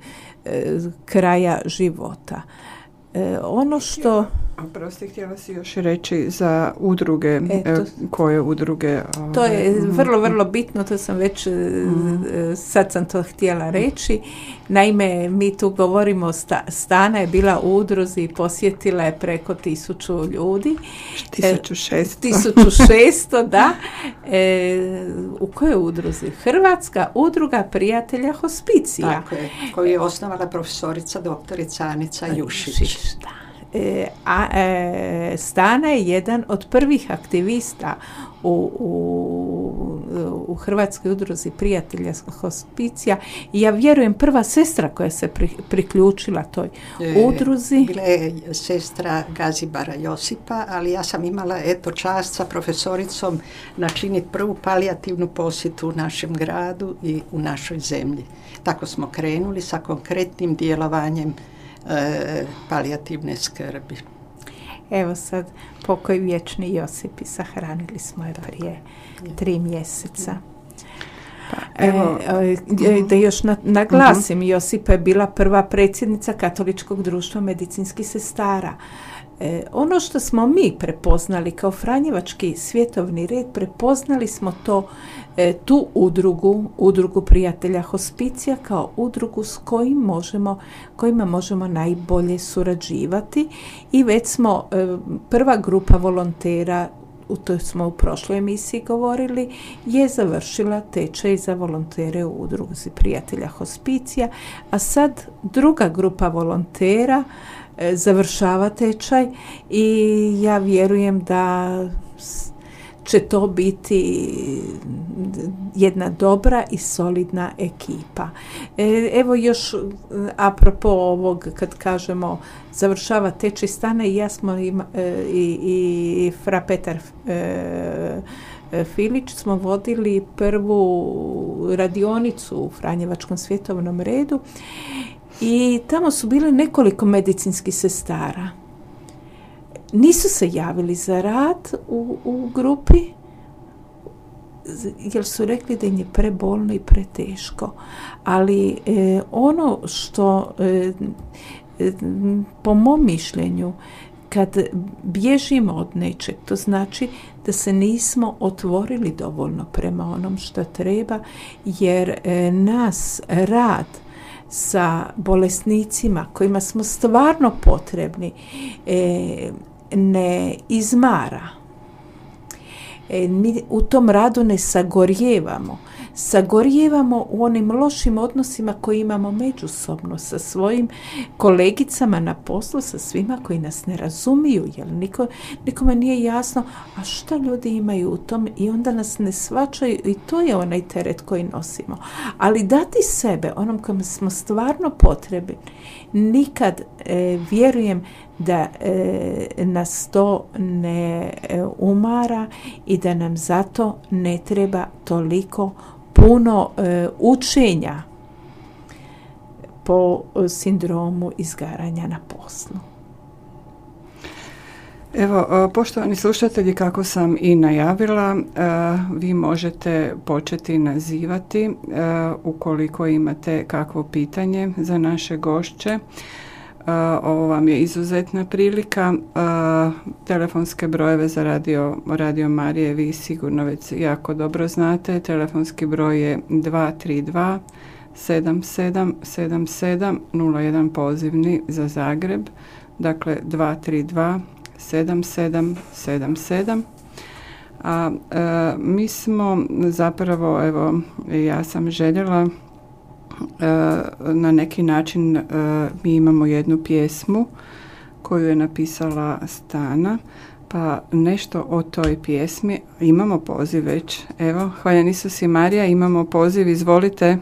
e, kraja života. E, ono što... A prosti, htjela si još reći za udruge, Eto, koje udruge? To je vrlo, vrlo bitno, to sam već, mm. sad sam to htjela reći. Naime, mi tu govorimo, sta, Stana je bila u udruzi i posjetila je preko tisuću ljudi. tisuću šesto. tisuću šesto, da. E, u kojoj udruzi? Hrvatska udruga prijatelja hospicija. Tako je, koju je osnovala profesorica doktorica Anica Jušić. Da. E, a e, Stana je jedan od prvih aktivista u, u, u Hrvatskoj udruzi prijatelja hospicija i ja vjerujem prva sestra koja se pri, priključila toj e, udruzi. Bila je sestra Gazibara Josipa, ali ja sam imala eto čast sa profesoricom načiniti prvu palijativnu posjetu u našem gradu i u našoj zemlji. Tako smo krenuli sa konkretnim djelovanjem E, palijativne skrbi. Evo sad, pokoj vječni Josip i sahranili smo je prije tri mjeseca. Pa, evo, e, da još na, naglasim, uh-huh. Josipa je bila prva predsjednica Katoličkog društva medicinskih sestara. E, ono što smo mi prepoznali kao Franjevački svjetovni red, prepoznali smo to, e, tu udrugu, udrugu prijatelja hospicija kao udrugu s kojim možemo, kojima možemo najbolje surađivati i već smo e, prva grupa volontera, u to smo u prošloj emisiji govorili, je završila tečaj za volontere u udruzi prijatelja hospicija, a sad druga grupa volontera završava tečaj i ja vjerujem da će to biti jedna dobra i solidna ekipa. Evo još apropo ovog, kad kažemo završava tečaj Stana i ja smo ima, i, i fra Petar e, Filić smo vodili prvu radionicu u Franjevačkom svjetovnom redu i tamo su bile nekoliko medicinskih sestara. Nisu se javili za rad u, u grupi, jer su rekli da im je prebolno i preteško. Ali e, ono što, e, e, po mom mišljenju, kad bježimo od nečeg, to znači da se nismo otvorili dovoljno prema onom što treba, jer e, nas rad sa bolesnicima kojima smo stvarno potrebni e, ne izmara. E, mi u tom radu ne sagorjevamo. Sagorjevamo u onim lošim odnosima koje imamo međusobno sa svojim kolegicama na poslu, sa svima koji nas ne razumiju, jer niko, nikome nije jasno, a šta ljudi imaju u tom i onda nas ne shvaćaju i to je onaj teret koji nosimo. Ali dati sebe onom kojem smo stvarno potrebni, nikad e, vjerujem da e, nas to ne e, umara i da nam zato ne treba toliko puno e, učenja po sindromu izgaranja na poslu. Evo, poštovani slušatelji, kako sam i najavila, vi možete početi nazivati ukoliko imate kakvo pitanje za naše gošće. Ovo vam je izuzetna prilika. Telefonske brojeve za radio, radio Marije vi sigurno već jako dobro znate. Telefonski broj je dva tri dva sedam sedam sedam sedam nula jedan pozivni za Zagreb. Dakle, dva tri dva sedam sedam sedam sedam. A e, mi smo zapravo, evo, ja sam željela na neki način uh, mi imamo jednu pjesmu koju je napisala Stana, pa nešto o toj pjesmi. Imamo poziv već. Evo, hvaljen Isus i Marija, imamo poziv, izvolite.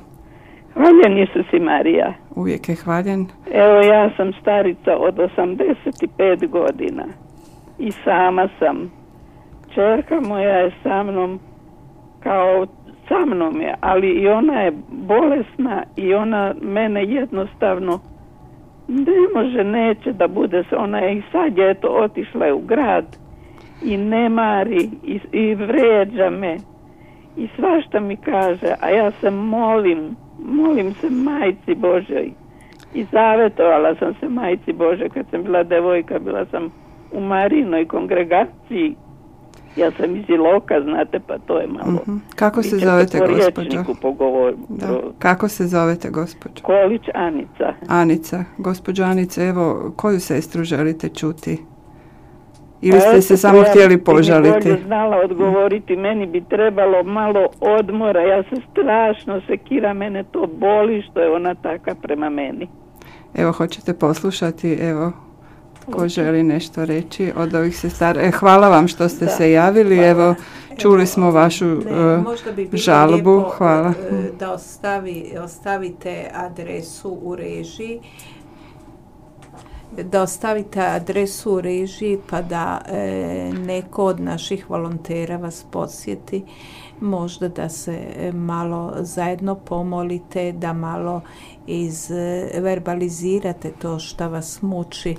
Hvaljen Isus i Marija. Uvijek je hvaljen. Evo, ja sam starica od osamdeset pet godina i sama sam. Čerka moja je sa mnom kao sa mnom je, ali i ona je bolesna i ona mene jednostavno ne može, neće da bude, ona je i sad je to otišla je u grad i ne mari i, i vređa me i svašta mi kaže, a ja se molim, molim se Majci Božoj i zavetovala sam se Majci Božoj kad sam bila devojka, bila sam u Marinoj kongregaciji. Ja sam iz Iloka, znate, pa to je malo... Uh-huh. Kako se Vi ćete zovete, po gospođo? rječniku pogovor- Da. pro- Kako se zovete, gospođo? Kolić Anica. Anica. Gospođo Anice, evo, koju sestru želite čuti? Ili Pa ste eto, se samo ja htjeli bi požaliti? bolje znala odgovoriti, meni bi trebalo malo odmora, ja se strašno sekira, mene to boli što je ona taka prema meni. Evo, hoćete poslušati, evo, ko želi nešto reći od ovih sestara. E, hvala vam što ste Da, se javili, hvala. evo, čuli smo vašu Ne, e, možda bi bilo žalbu, lijepo, hvala. e, da ostavi, ostavite adresu u režiji, da ostavite adresu u režiji pa da e, neko od naših volontera vas posjeti, možda da se e, malo zajedno pomolite, da malo izverbalizirate to što vas muči.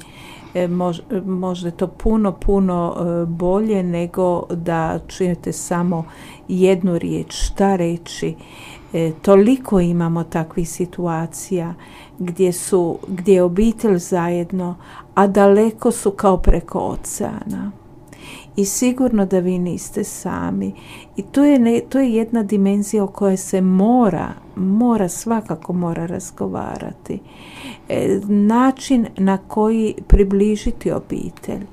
E, mož, možda je to puno, puno e, bolje nego da čujete samo jednu riječ, šta reći. E, toliko imamo takvih situacija gdje su, gdje je obitelj zajedno, a daleko su kao preko oceana. I sigurno da vi niste sami. I to je, ne, to je jedna dimenzija o kojoj se mora, mora, svakako mora razgovarati. E, način na koji približiti obitelj.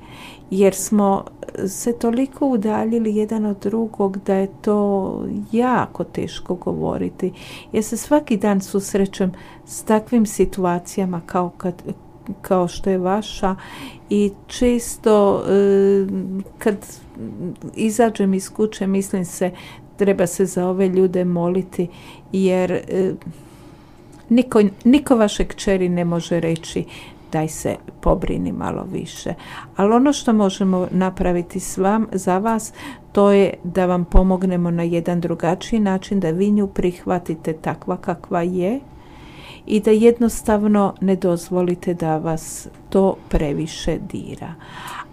Jer smo se toliko udaljili jedan od drugog da je to jako teško govoriti. Ja se svaki dan susrećem s takvim situacijama kao, kad, kao što je vaša i često e, kad izađem iz kuće mislim se treba se za ove ljude moliti jer e, niko, niko vaše kćeri ne može reći daj se pobrini malo više. Ali ono što možemo napraviti s vam, za vas, to je da vam pomognemo na jedan drugačiji način, da vi nju prihvatite takva kakva je i da jednostavno ne dozvolite da vas to previše dira.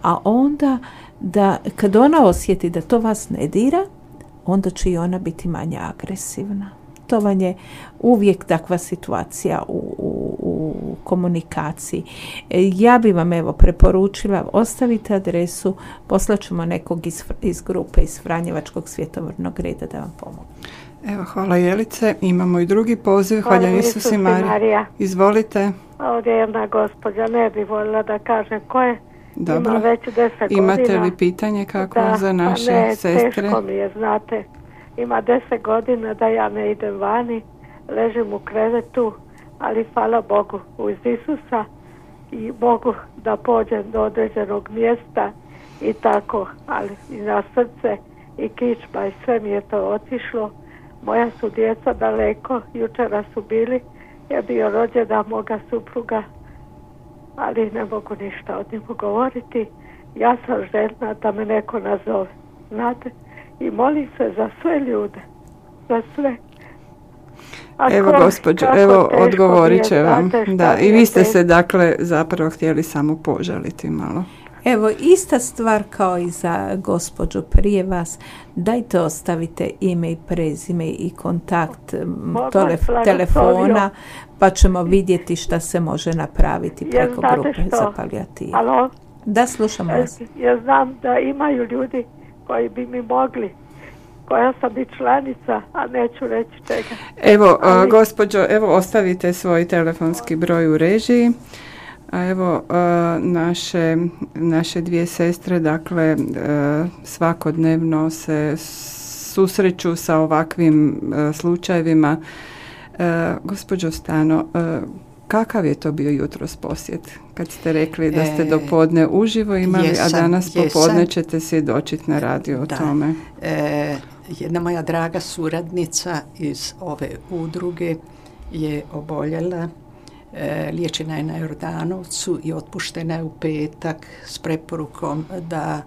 A onda da kad ona osjeti da to vas ne dira, onda će i ona biti manje agresivna. To vam je uvijek takva situacija u, u, u komunikaciji. E, ja bi vam evo preporučila, ostavite adresu, poslaćemo nekog iz, iz grupe iz Franjevačkog svjetovrnog reda da vam pomogu. Evo, hvala Jelice. Imamo i drugi poziv. Hvala, Hvala Isus Isus i i Marija. Marija. Izvolite. Ovdje je jedna gospođa, ne bi voljela da kažem ko je. Dobro. Ima već deset Imate godina. li pitanje kako Da, za naše pa ne, sestre? teško mi je, znate. Ima deset godina da ja ne idem vani, ležim u krevetu, ali hvala Bogu uz Isusa i Bogu da pođem do određenog mjesta i tako, ali i na srce i kičma i sve mi je to otišlo. Moja su djeca daleko, jučera su bili, je bio rođendan moga supruga, ali ne mogu ništa od njemu govoriti. Ja sam željna da me neko nazove, znate, i molim se za sve ljude, za sve. A Evo ko- gospođo, kako evo teško mi odgovorit je, će vam. znate šta Da, mi i je vi ste teško. se dakle zapravo htjeli samo požaliti malo. Evo, ista stvar kao i za gospođu prije vas. Dajte ostavite ime i prezime i kontakt m, Bog tele- vas blagoslovio. telefona, pa ćemo vidjeti šta se može napraviti Jer preko znate grupe što? za palijativu. Alo, Da, slušamo vas. ja znam da imaju ljudi koji bi mi mogli, koja sam i članica, a neću reći čega. Evo, a, Ali- gospođo, evo ostavite svoj telefonski broj u režiji. A evo, a, naše, naše dvije sestre, dakle, a, svakodnevno se susreću sa ovakvim a, slučajevima. A, gospođo Stano, a, kakav je to bio jutros posjet? Kad ste rekli da ste E, do podne uživo imali, jesam, a danas jesam. popodne ćete svjedočiti na radiju o Da. tome. E, jedna moja draga suradnica iz ove udruge je oboljela, e, liječena je na Jordanovcu i otpuštena je u petak s preporukom da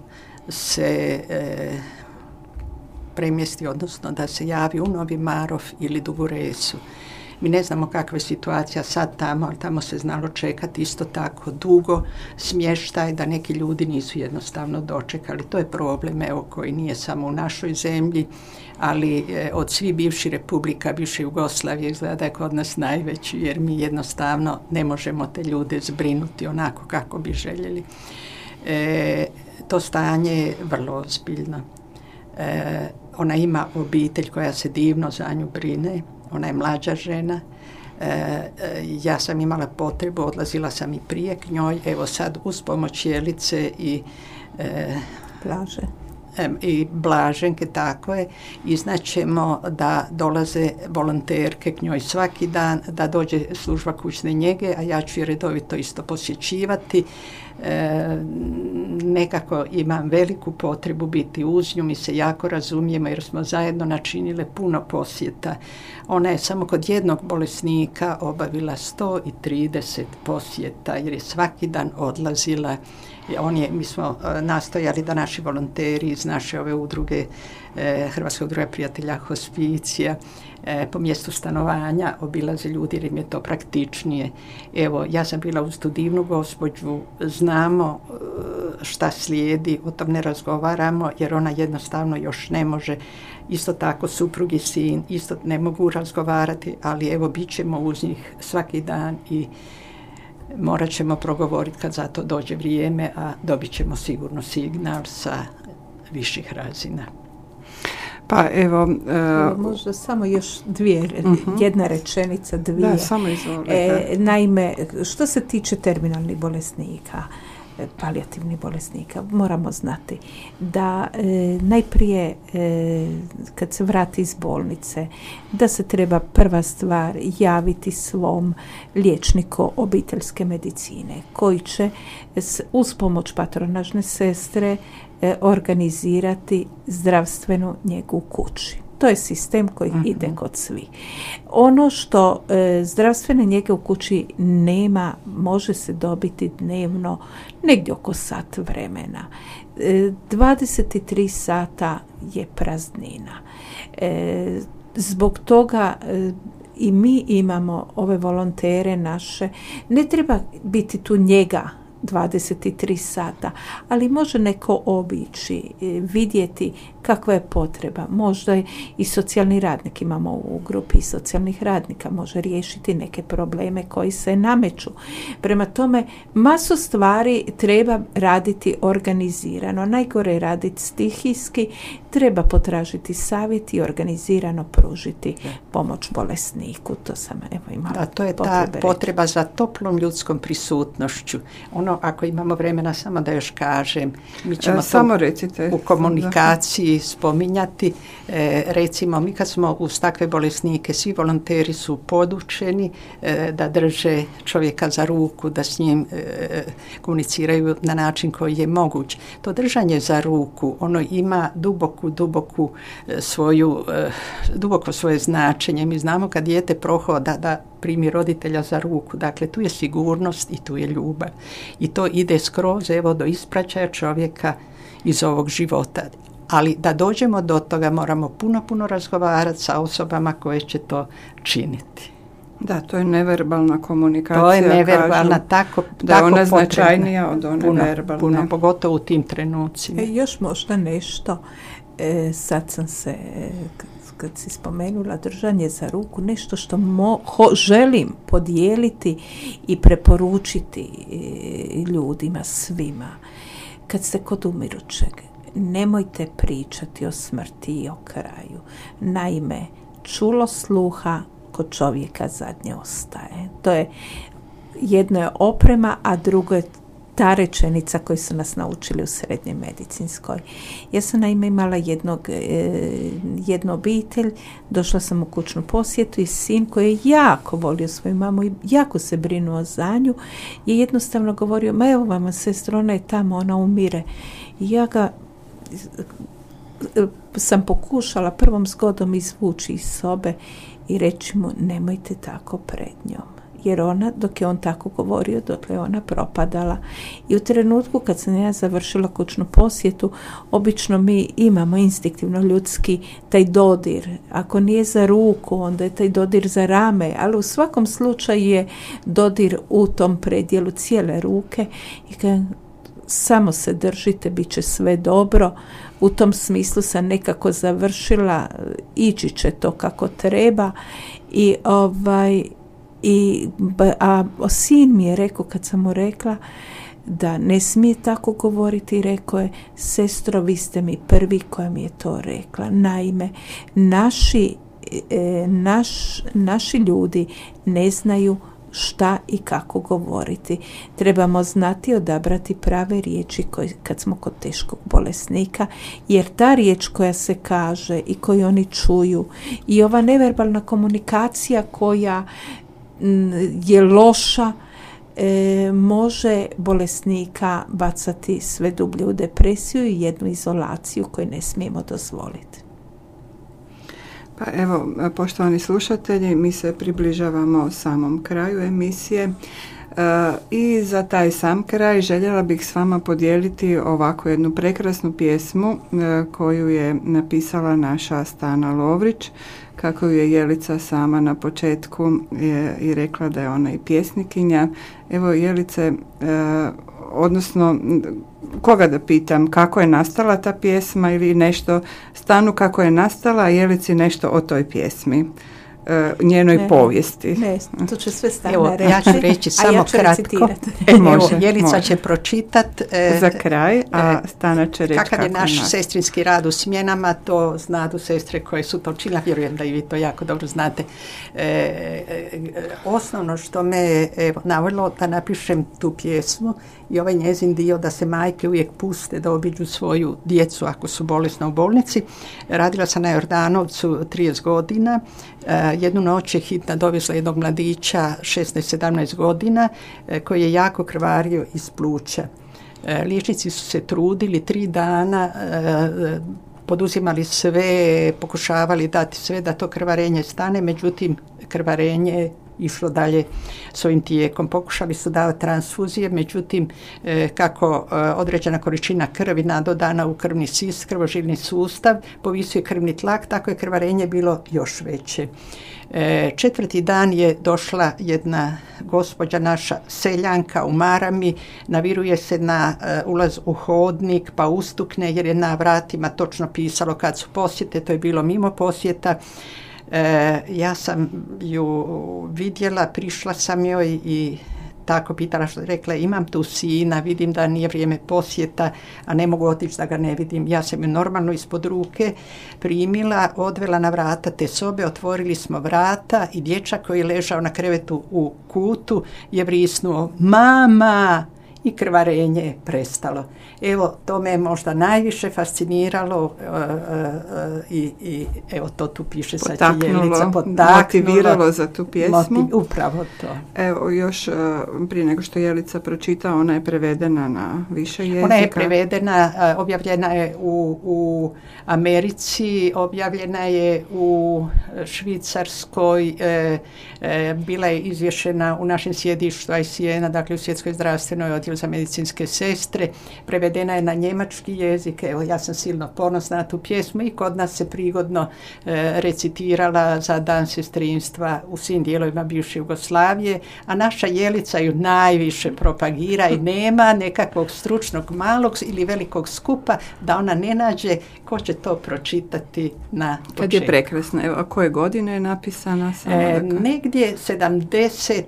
se e, premjesti, odnosno da se javi u Novi Marof ili Dugu Resu. Mi ne znamo kakva je situacija sad tamo, ali tamo se znalo čekati isto tako dugo smještaj, da neki ljudi nisu jednostavno dočekali. To je problem, evo, koji nije samo u našoj zemlji, ali e, od svih bivših republika, bivše Jugoslavije, izgleda da je kod nas najveći, jer mi jednostavno ne možemo te ljude zbrinuti onako kako bi željeli. E, to stanje je vrlo ozbiljno. E, ona ima obitelj koja se divno za nju brine, ona je mlađa žena. E, ja sam imala potrebu, odlazila sam i prije k njoj, evo sad uz pomoć Jelice i e, Blaže. i Blaženke, tako je, iznaćemo da dolaze volonterke k njoj svaki dan, da dođe služba kućne njege, a ja ću je redovito isto posjećivati. E, nekako imam veliku potrebu biti uz nju, mi se jako razumijemo jer smo zajedno načinile puno posjeta. Ona je samo kod jednog bolesnika obavila sto trideset posjeta jer je svaki dan odlazila. On je, mi smo nastojali da naši volonteri iz naše ove udruge, e, Hrvatske udruge prijatelja hospicija, e, po mjestu stanovanja obilaze ljudi jer im je to praktičnije. Evo, ja sam bila uz tu divnu gospođu, znamo šta slijedi, o tom ne razgovaramo jer ona jednostavno još ne može. Isto tako suprug i sin isto ne mogu razgovarati, ali evo bit ćemo uz njih svaki dan i morat ćemo progovoriti kad za to dođe vrijeme, a dobit ćemo sigurno signal sa viših razina. Pa evo... Uh, možda samo još dvije, uh-huh. jedna rečenica, dvije. Da, samo izvolite. E, naime, što se tiče terminalnih bolesnika, palijativnih bolesnika, moramo znati da e, najprije e, kad se vrati iz bolnice, da se treba prva stvar javiti svom liječniku obiteljske medicine koji će s, uz pomoć patronažne sestre e, organizirati zdravstvenu njegu u kući. To je sistem koji uh-huh. ide kod svih. Ono što e, zdravstvene njege u kući nema, može se dobiti dnevno negdje oko sat vremena. E, dvadeset tri sata je praznina. E, zbog toga e, i mi imamo ove volontere naše. Ne treba biti tu njega dvadeset tri sata, ali može neko obići, vidjeti kakva je potreba. Možda i socijalni radnik, imamo u grupi socijalnih radnika, može riješiti neke probleme koji se nameću. Prema tome, masu stvari treba raditi organizirano. Najgore je raditi stihijski, treba potražiti savjet i organizirano pružiti pomoć bolesniku. To sam evo imala. Da, to je ta potreba za toplom ljudskom prisutnošću. Ono, ako imamo vremena, samo da još kažem, mi ćemo e, samo recite. U komunikaciji spominjati. E, recimo, mi kad smo uz takve bolesnike, svi volonteri su podučeni e, da drže čovjeka za ruku, da s njim e, komuniciraju na način koji je moguć. To držanje za ruku, ono ima duboku, duboku e, svoju, e, duboko svoje značenje. Mi znamo kad dijete prohoda da primi roditelja za ruku. Dakle, tu je sigurnost i tu je ljubav. I to ide skroz evo do ispraćaja čovjeka iz ovog života. Ali da dođemo do toga moramo puno, puno razgovarati sa osobama koje će to činiti. Da, to je neverbalna komunikacija. To je neverbalna, tako da je ona značajnija od one puno, verbalne. Puno, pogotovo u tim trenucima. E, još možda nešto, e, sad sam se, kad si spomenula držanje za ruku, nešto što mo, ho, želim podijeliti i preporučiti e, ljudima, svima. Kad ste kod umirućeg, nemojte pričati o smrti i o kraju. Naime, čulo sluha kod čovjeka zadnje ostaje. To je, jedno je oprema, a drugo je ta rečenica koju su nas naučili u srednjoj medicinskoj. Ja sam naime imala jednog, e, jednu obitelj, došla sam u kućnu posjetu i sin koji je jako volio svoju mamu i jako se brinuo za nju, je jednostavno govorio, ma evo vama sestro, ona je tamo, ona umire. I ja ga sam pokušala prvom zgodom izvući iz sobe i reći mu, nemojte tako pred njom. Jer ona, dok je on tako govorio, dok je ona propadala. I u trenutku kad sam ja završila kućnu posjetu, obično mi imamo instinktivno ljudski taj dodir. Ako nije za ruku, onda je taj dodir za rame, ali u svakom slučaju je dodir u tom predjelu cijele ruke. I kad samo se držite, bit će sve dobro. U tom smislu sam nekako završila, ići će to kako treba. I ovaj... I, a sin mi je rekao, kad sam mu rekla, da ne smije tako govoriti i rekao je: sestro, vi ste mi prvi koja mi je to rekla. Naime, naši, e, naš, naši ljudi ne znaju šta i kako govoriti. Trebamo znati odabrati prave riječi koji, kad smo kod teškog bolesnika, jer ta riječ koja se kaže i koju oni čuju i ova neverbalna komunikacija koja m, je loša, e, može bolesnika bacati sve dublje u depresiju i jednu izolaciju koju ne smijemo dozvoliti. Pa evo, poštovani slušatelji, mi se približavamo samom kraju emisije e, i za taj sam kraj željela bih s vama podijeliti ovako jednu prekrasnu pjesmu e, koju je napisala naša Stana Lovrić, kako ju je Jelica sama na početku je, i rekla da je ona i pjesnikinja. Evo, Jelice, e, odnosno koga da pitam, kako je nastala ta pjesma ili nešto, Stanu kako je nastala, a Jelici nešto o toj pjesmi, e, njenoj ne, povijesti. Ne, to će sve Stana Evo, reći. ja ću reći samo ja ću kratko. E, može, Evo, Jelica može. će pročitat e, Za kraj, a Stana će reći kakav je kako naš nastala. sestrinski rad u smjenama, to znadu sestre koje su to učinile, vjerujem da i vi to jako dobro znate. E, e, osnovno što me evo, navodilo da napišem tu pjesmu i ovaj njezin dio da se majke uvijek puste da obiđu svoju djecu ako su bolesne u bolnici. Radila sam na Jordanovcu trideset godina. E, jednu noć je hitna dovezla jednog mladića šesnaest sedamnaest godina e, koji je jako krvario iz pluća. E, liječnici su se trudili tri dana, e, poduzimali sve, pokušavali dati sve da to krvarenje stane, međutim krvarenje išlo dalje svojim tijekom. Pokušali su davati transfuzije, međutim e, kako e, određena količina krvi nadodana u krvni sis, krvožilni sustav, povisio je krvni tlak, tako je krvarenje bilo još veće. E, četvrti dan je došla jedna gospođa naša seljanka u marami, naviruje se na e, ulaz u hodnik pa ustukne jer je na vratima točno pisalo kad su posjete, to je bilo mimo posjeta. E, ja sam ju vidjela, prišla sam joj i tako pitala, što rekla, imam tu sina, vidim da nije vrijeme posjeta, a ne mogu otići da ga ne vidim. Ja sam ju normalno ispod ruke primila, odvela na vrata te sobe, otvorili smo vrata i dječak koji je ležao na krevetu u kutu je vrisnuo mama i krvarenje je prestalo. Evo, to me je možda najviše fasciniralo uh, uh, uh, i, i evo to tu piše sad će Jelica, potaknulo, motiviralo za tu pjesmu. Motiv, upravo to. Evo, još uh, prije nego što Jelica pročita, ona je prevedena na više jezika. Ona je prevedena, uh, objavljena je u, u Americi, objavljena je u Švicarskoj, uh, uh, bila je izvješena u našem sjedištu I C N-a, dakle u Svjetskoj zdravstvenoj odjelu za medicinske sestre, prevedena je na njemački jezik. Evo, ja sam silno ponosna na tu pjesmu i kod nas se prigodno e, recitirala za dan sestrinstva u svim dijelovima bivše Jugoslavije, a naša Jelica ju najviše propagira i nema nekakvog stručnog malog ili velikog skupa da ona ne nađe ko će to pročitati na početku. Kad je prekrasna. Evo, a koje godine je napisana? E, negdje sedamdeset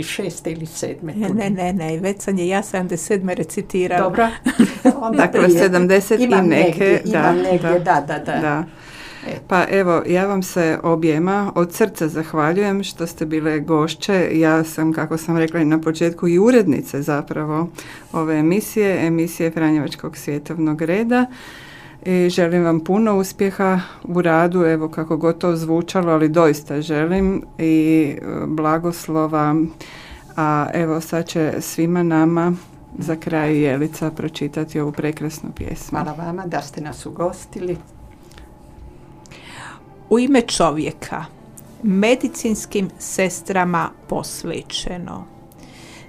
šeste ili sedme Ne, ne, ne, ne, već sam je ja sedamdeset sedme recitirala. Dobro. Onda Dakle, sedamdeset i imam neke. Negdje, da, imam negdje, da, da, da. da. da. Pa evo, ja vam se objema od srca zahvaljujem što ste bile gošće. Ja sam, kako sam rekla i na početku, i urednice zapravo ove emisije, emisije Franjevačkog svjetovnog reda. I želim vam puno uspjeha u radu, evo kako god to zvučalo, ali doista želim i blagoslova. A evo sad će svima nama za kraj Jelica pročitati ovu prekrasnu pjesmu. Hvala vama da ste nas ugostili. U ime čovjeka, medicinskim sestrama posvećeno,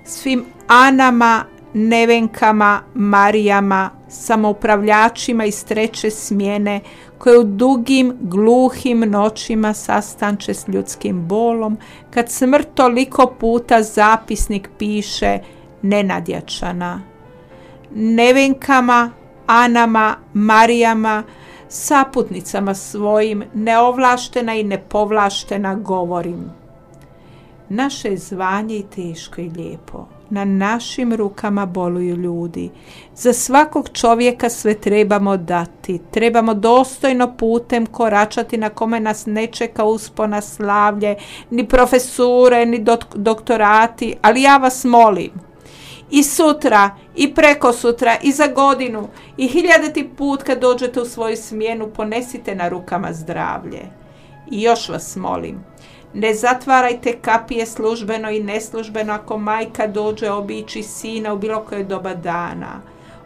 svim Anama, Nevenkama, Marijama, samoupravljačima iz treće smjene koje u dugim, gluhim noćima sastanče s ljudskim bolom, kad smrt toliko puta zapisnik piše nenadjačana. Nevenkama, Anama, Marijama, saputnicama svojim, neovlaštena i nepovlaštena govorim. Naše je zvanje i teško i lijepo, na našim rukama boluju ljudi. Za svakog čovjeka sve trebamo dati. Trebamo dostojno putem koračati na kome nas ne čeka uspona slavlje, ni profesure, ni dok- doktorati. Ali ja vas molim, i sutra, i preko sutra, i za godinu, i hiljaditi put kad dođete u svoju smjenu, ponesite na rukama zdravlje. I još vas molim, ne zatvarajte kapije službeno i neslužbeno ako majka dođe obići sina u bilo koje doba dana.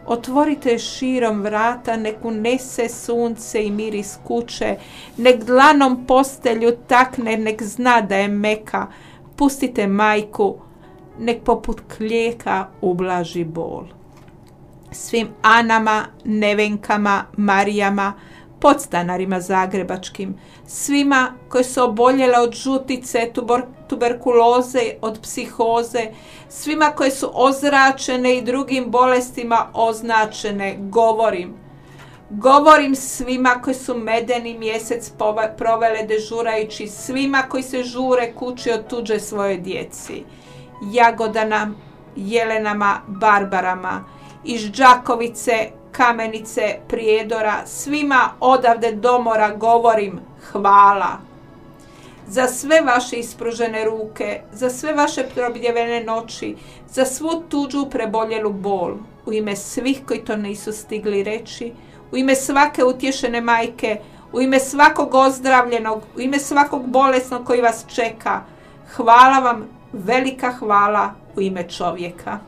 Otvorite širom vrata, nek unese sunce i miris kuće, nek dlanom postelju takne, nek zna da je meka. Pustite majku, nek poput klijeka ublaži bol. Svim Anama, Nevenkama, Marijama, podstanarima zagrebačkim, svima koji su oboljele od žutice, tuber, tuberkuloze, od psihoze, svima koji su ozračene i drugim bolestima označene, govorim. Govorim svima koji su medeni mjesec provele dežurajući, svima koji se žure kući od tuđe svoje djeci. Jagodana, Jelenama, Barbarama, iz Đakovice, Kamenice, Prijedora, svima odavde domora govorim hvala. Za sve vaše ispružene ruke, za sve vaše probljevene noći, za svu tuđu preboljelu bol, u ime svih koji to nisu stigli reći, u ime svake utješene majke, u ime svakog ozdravljenog, u ime svakog bolesnog koji vas čeka, hvala vam, velika hvala u ime čovjeka.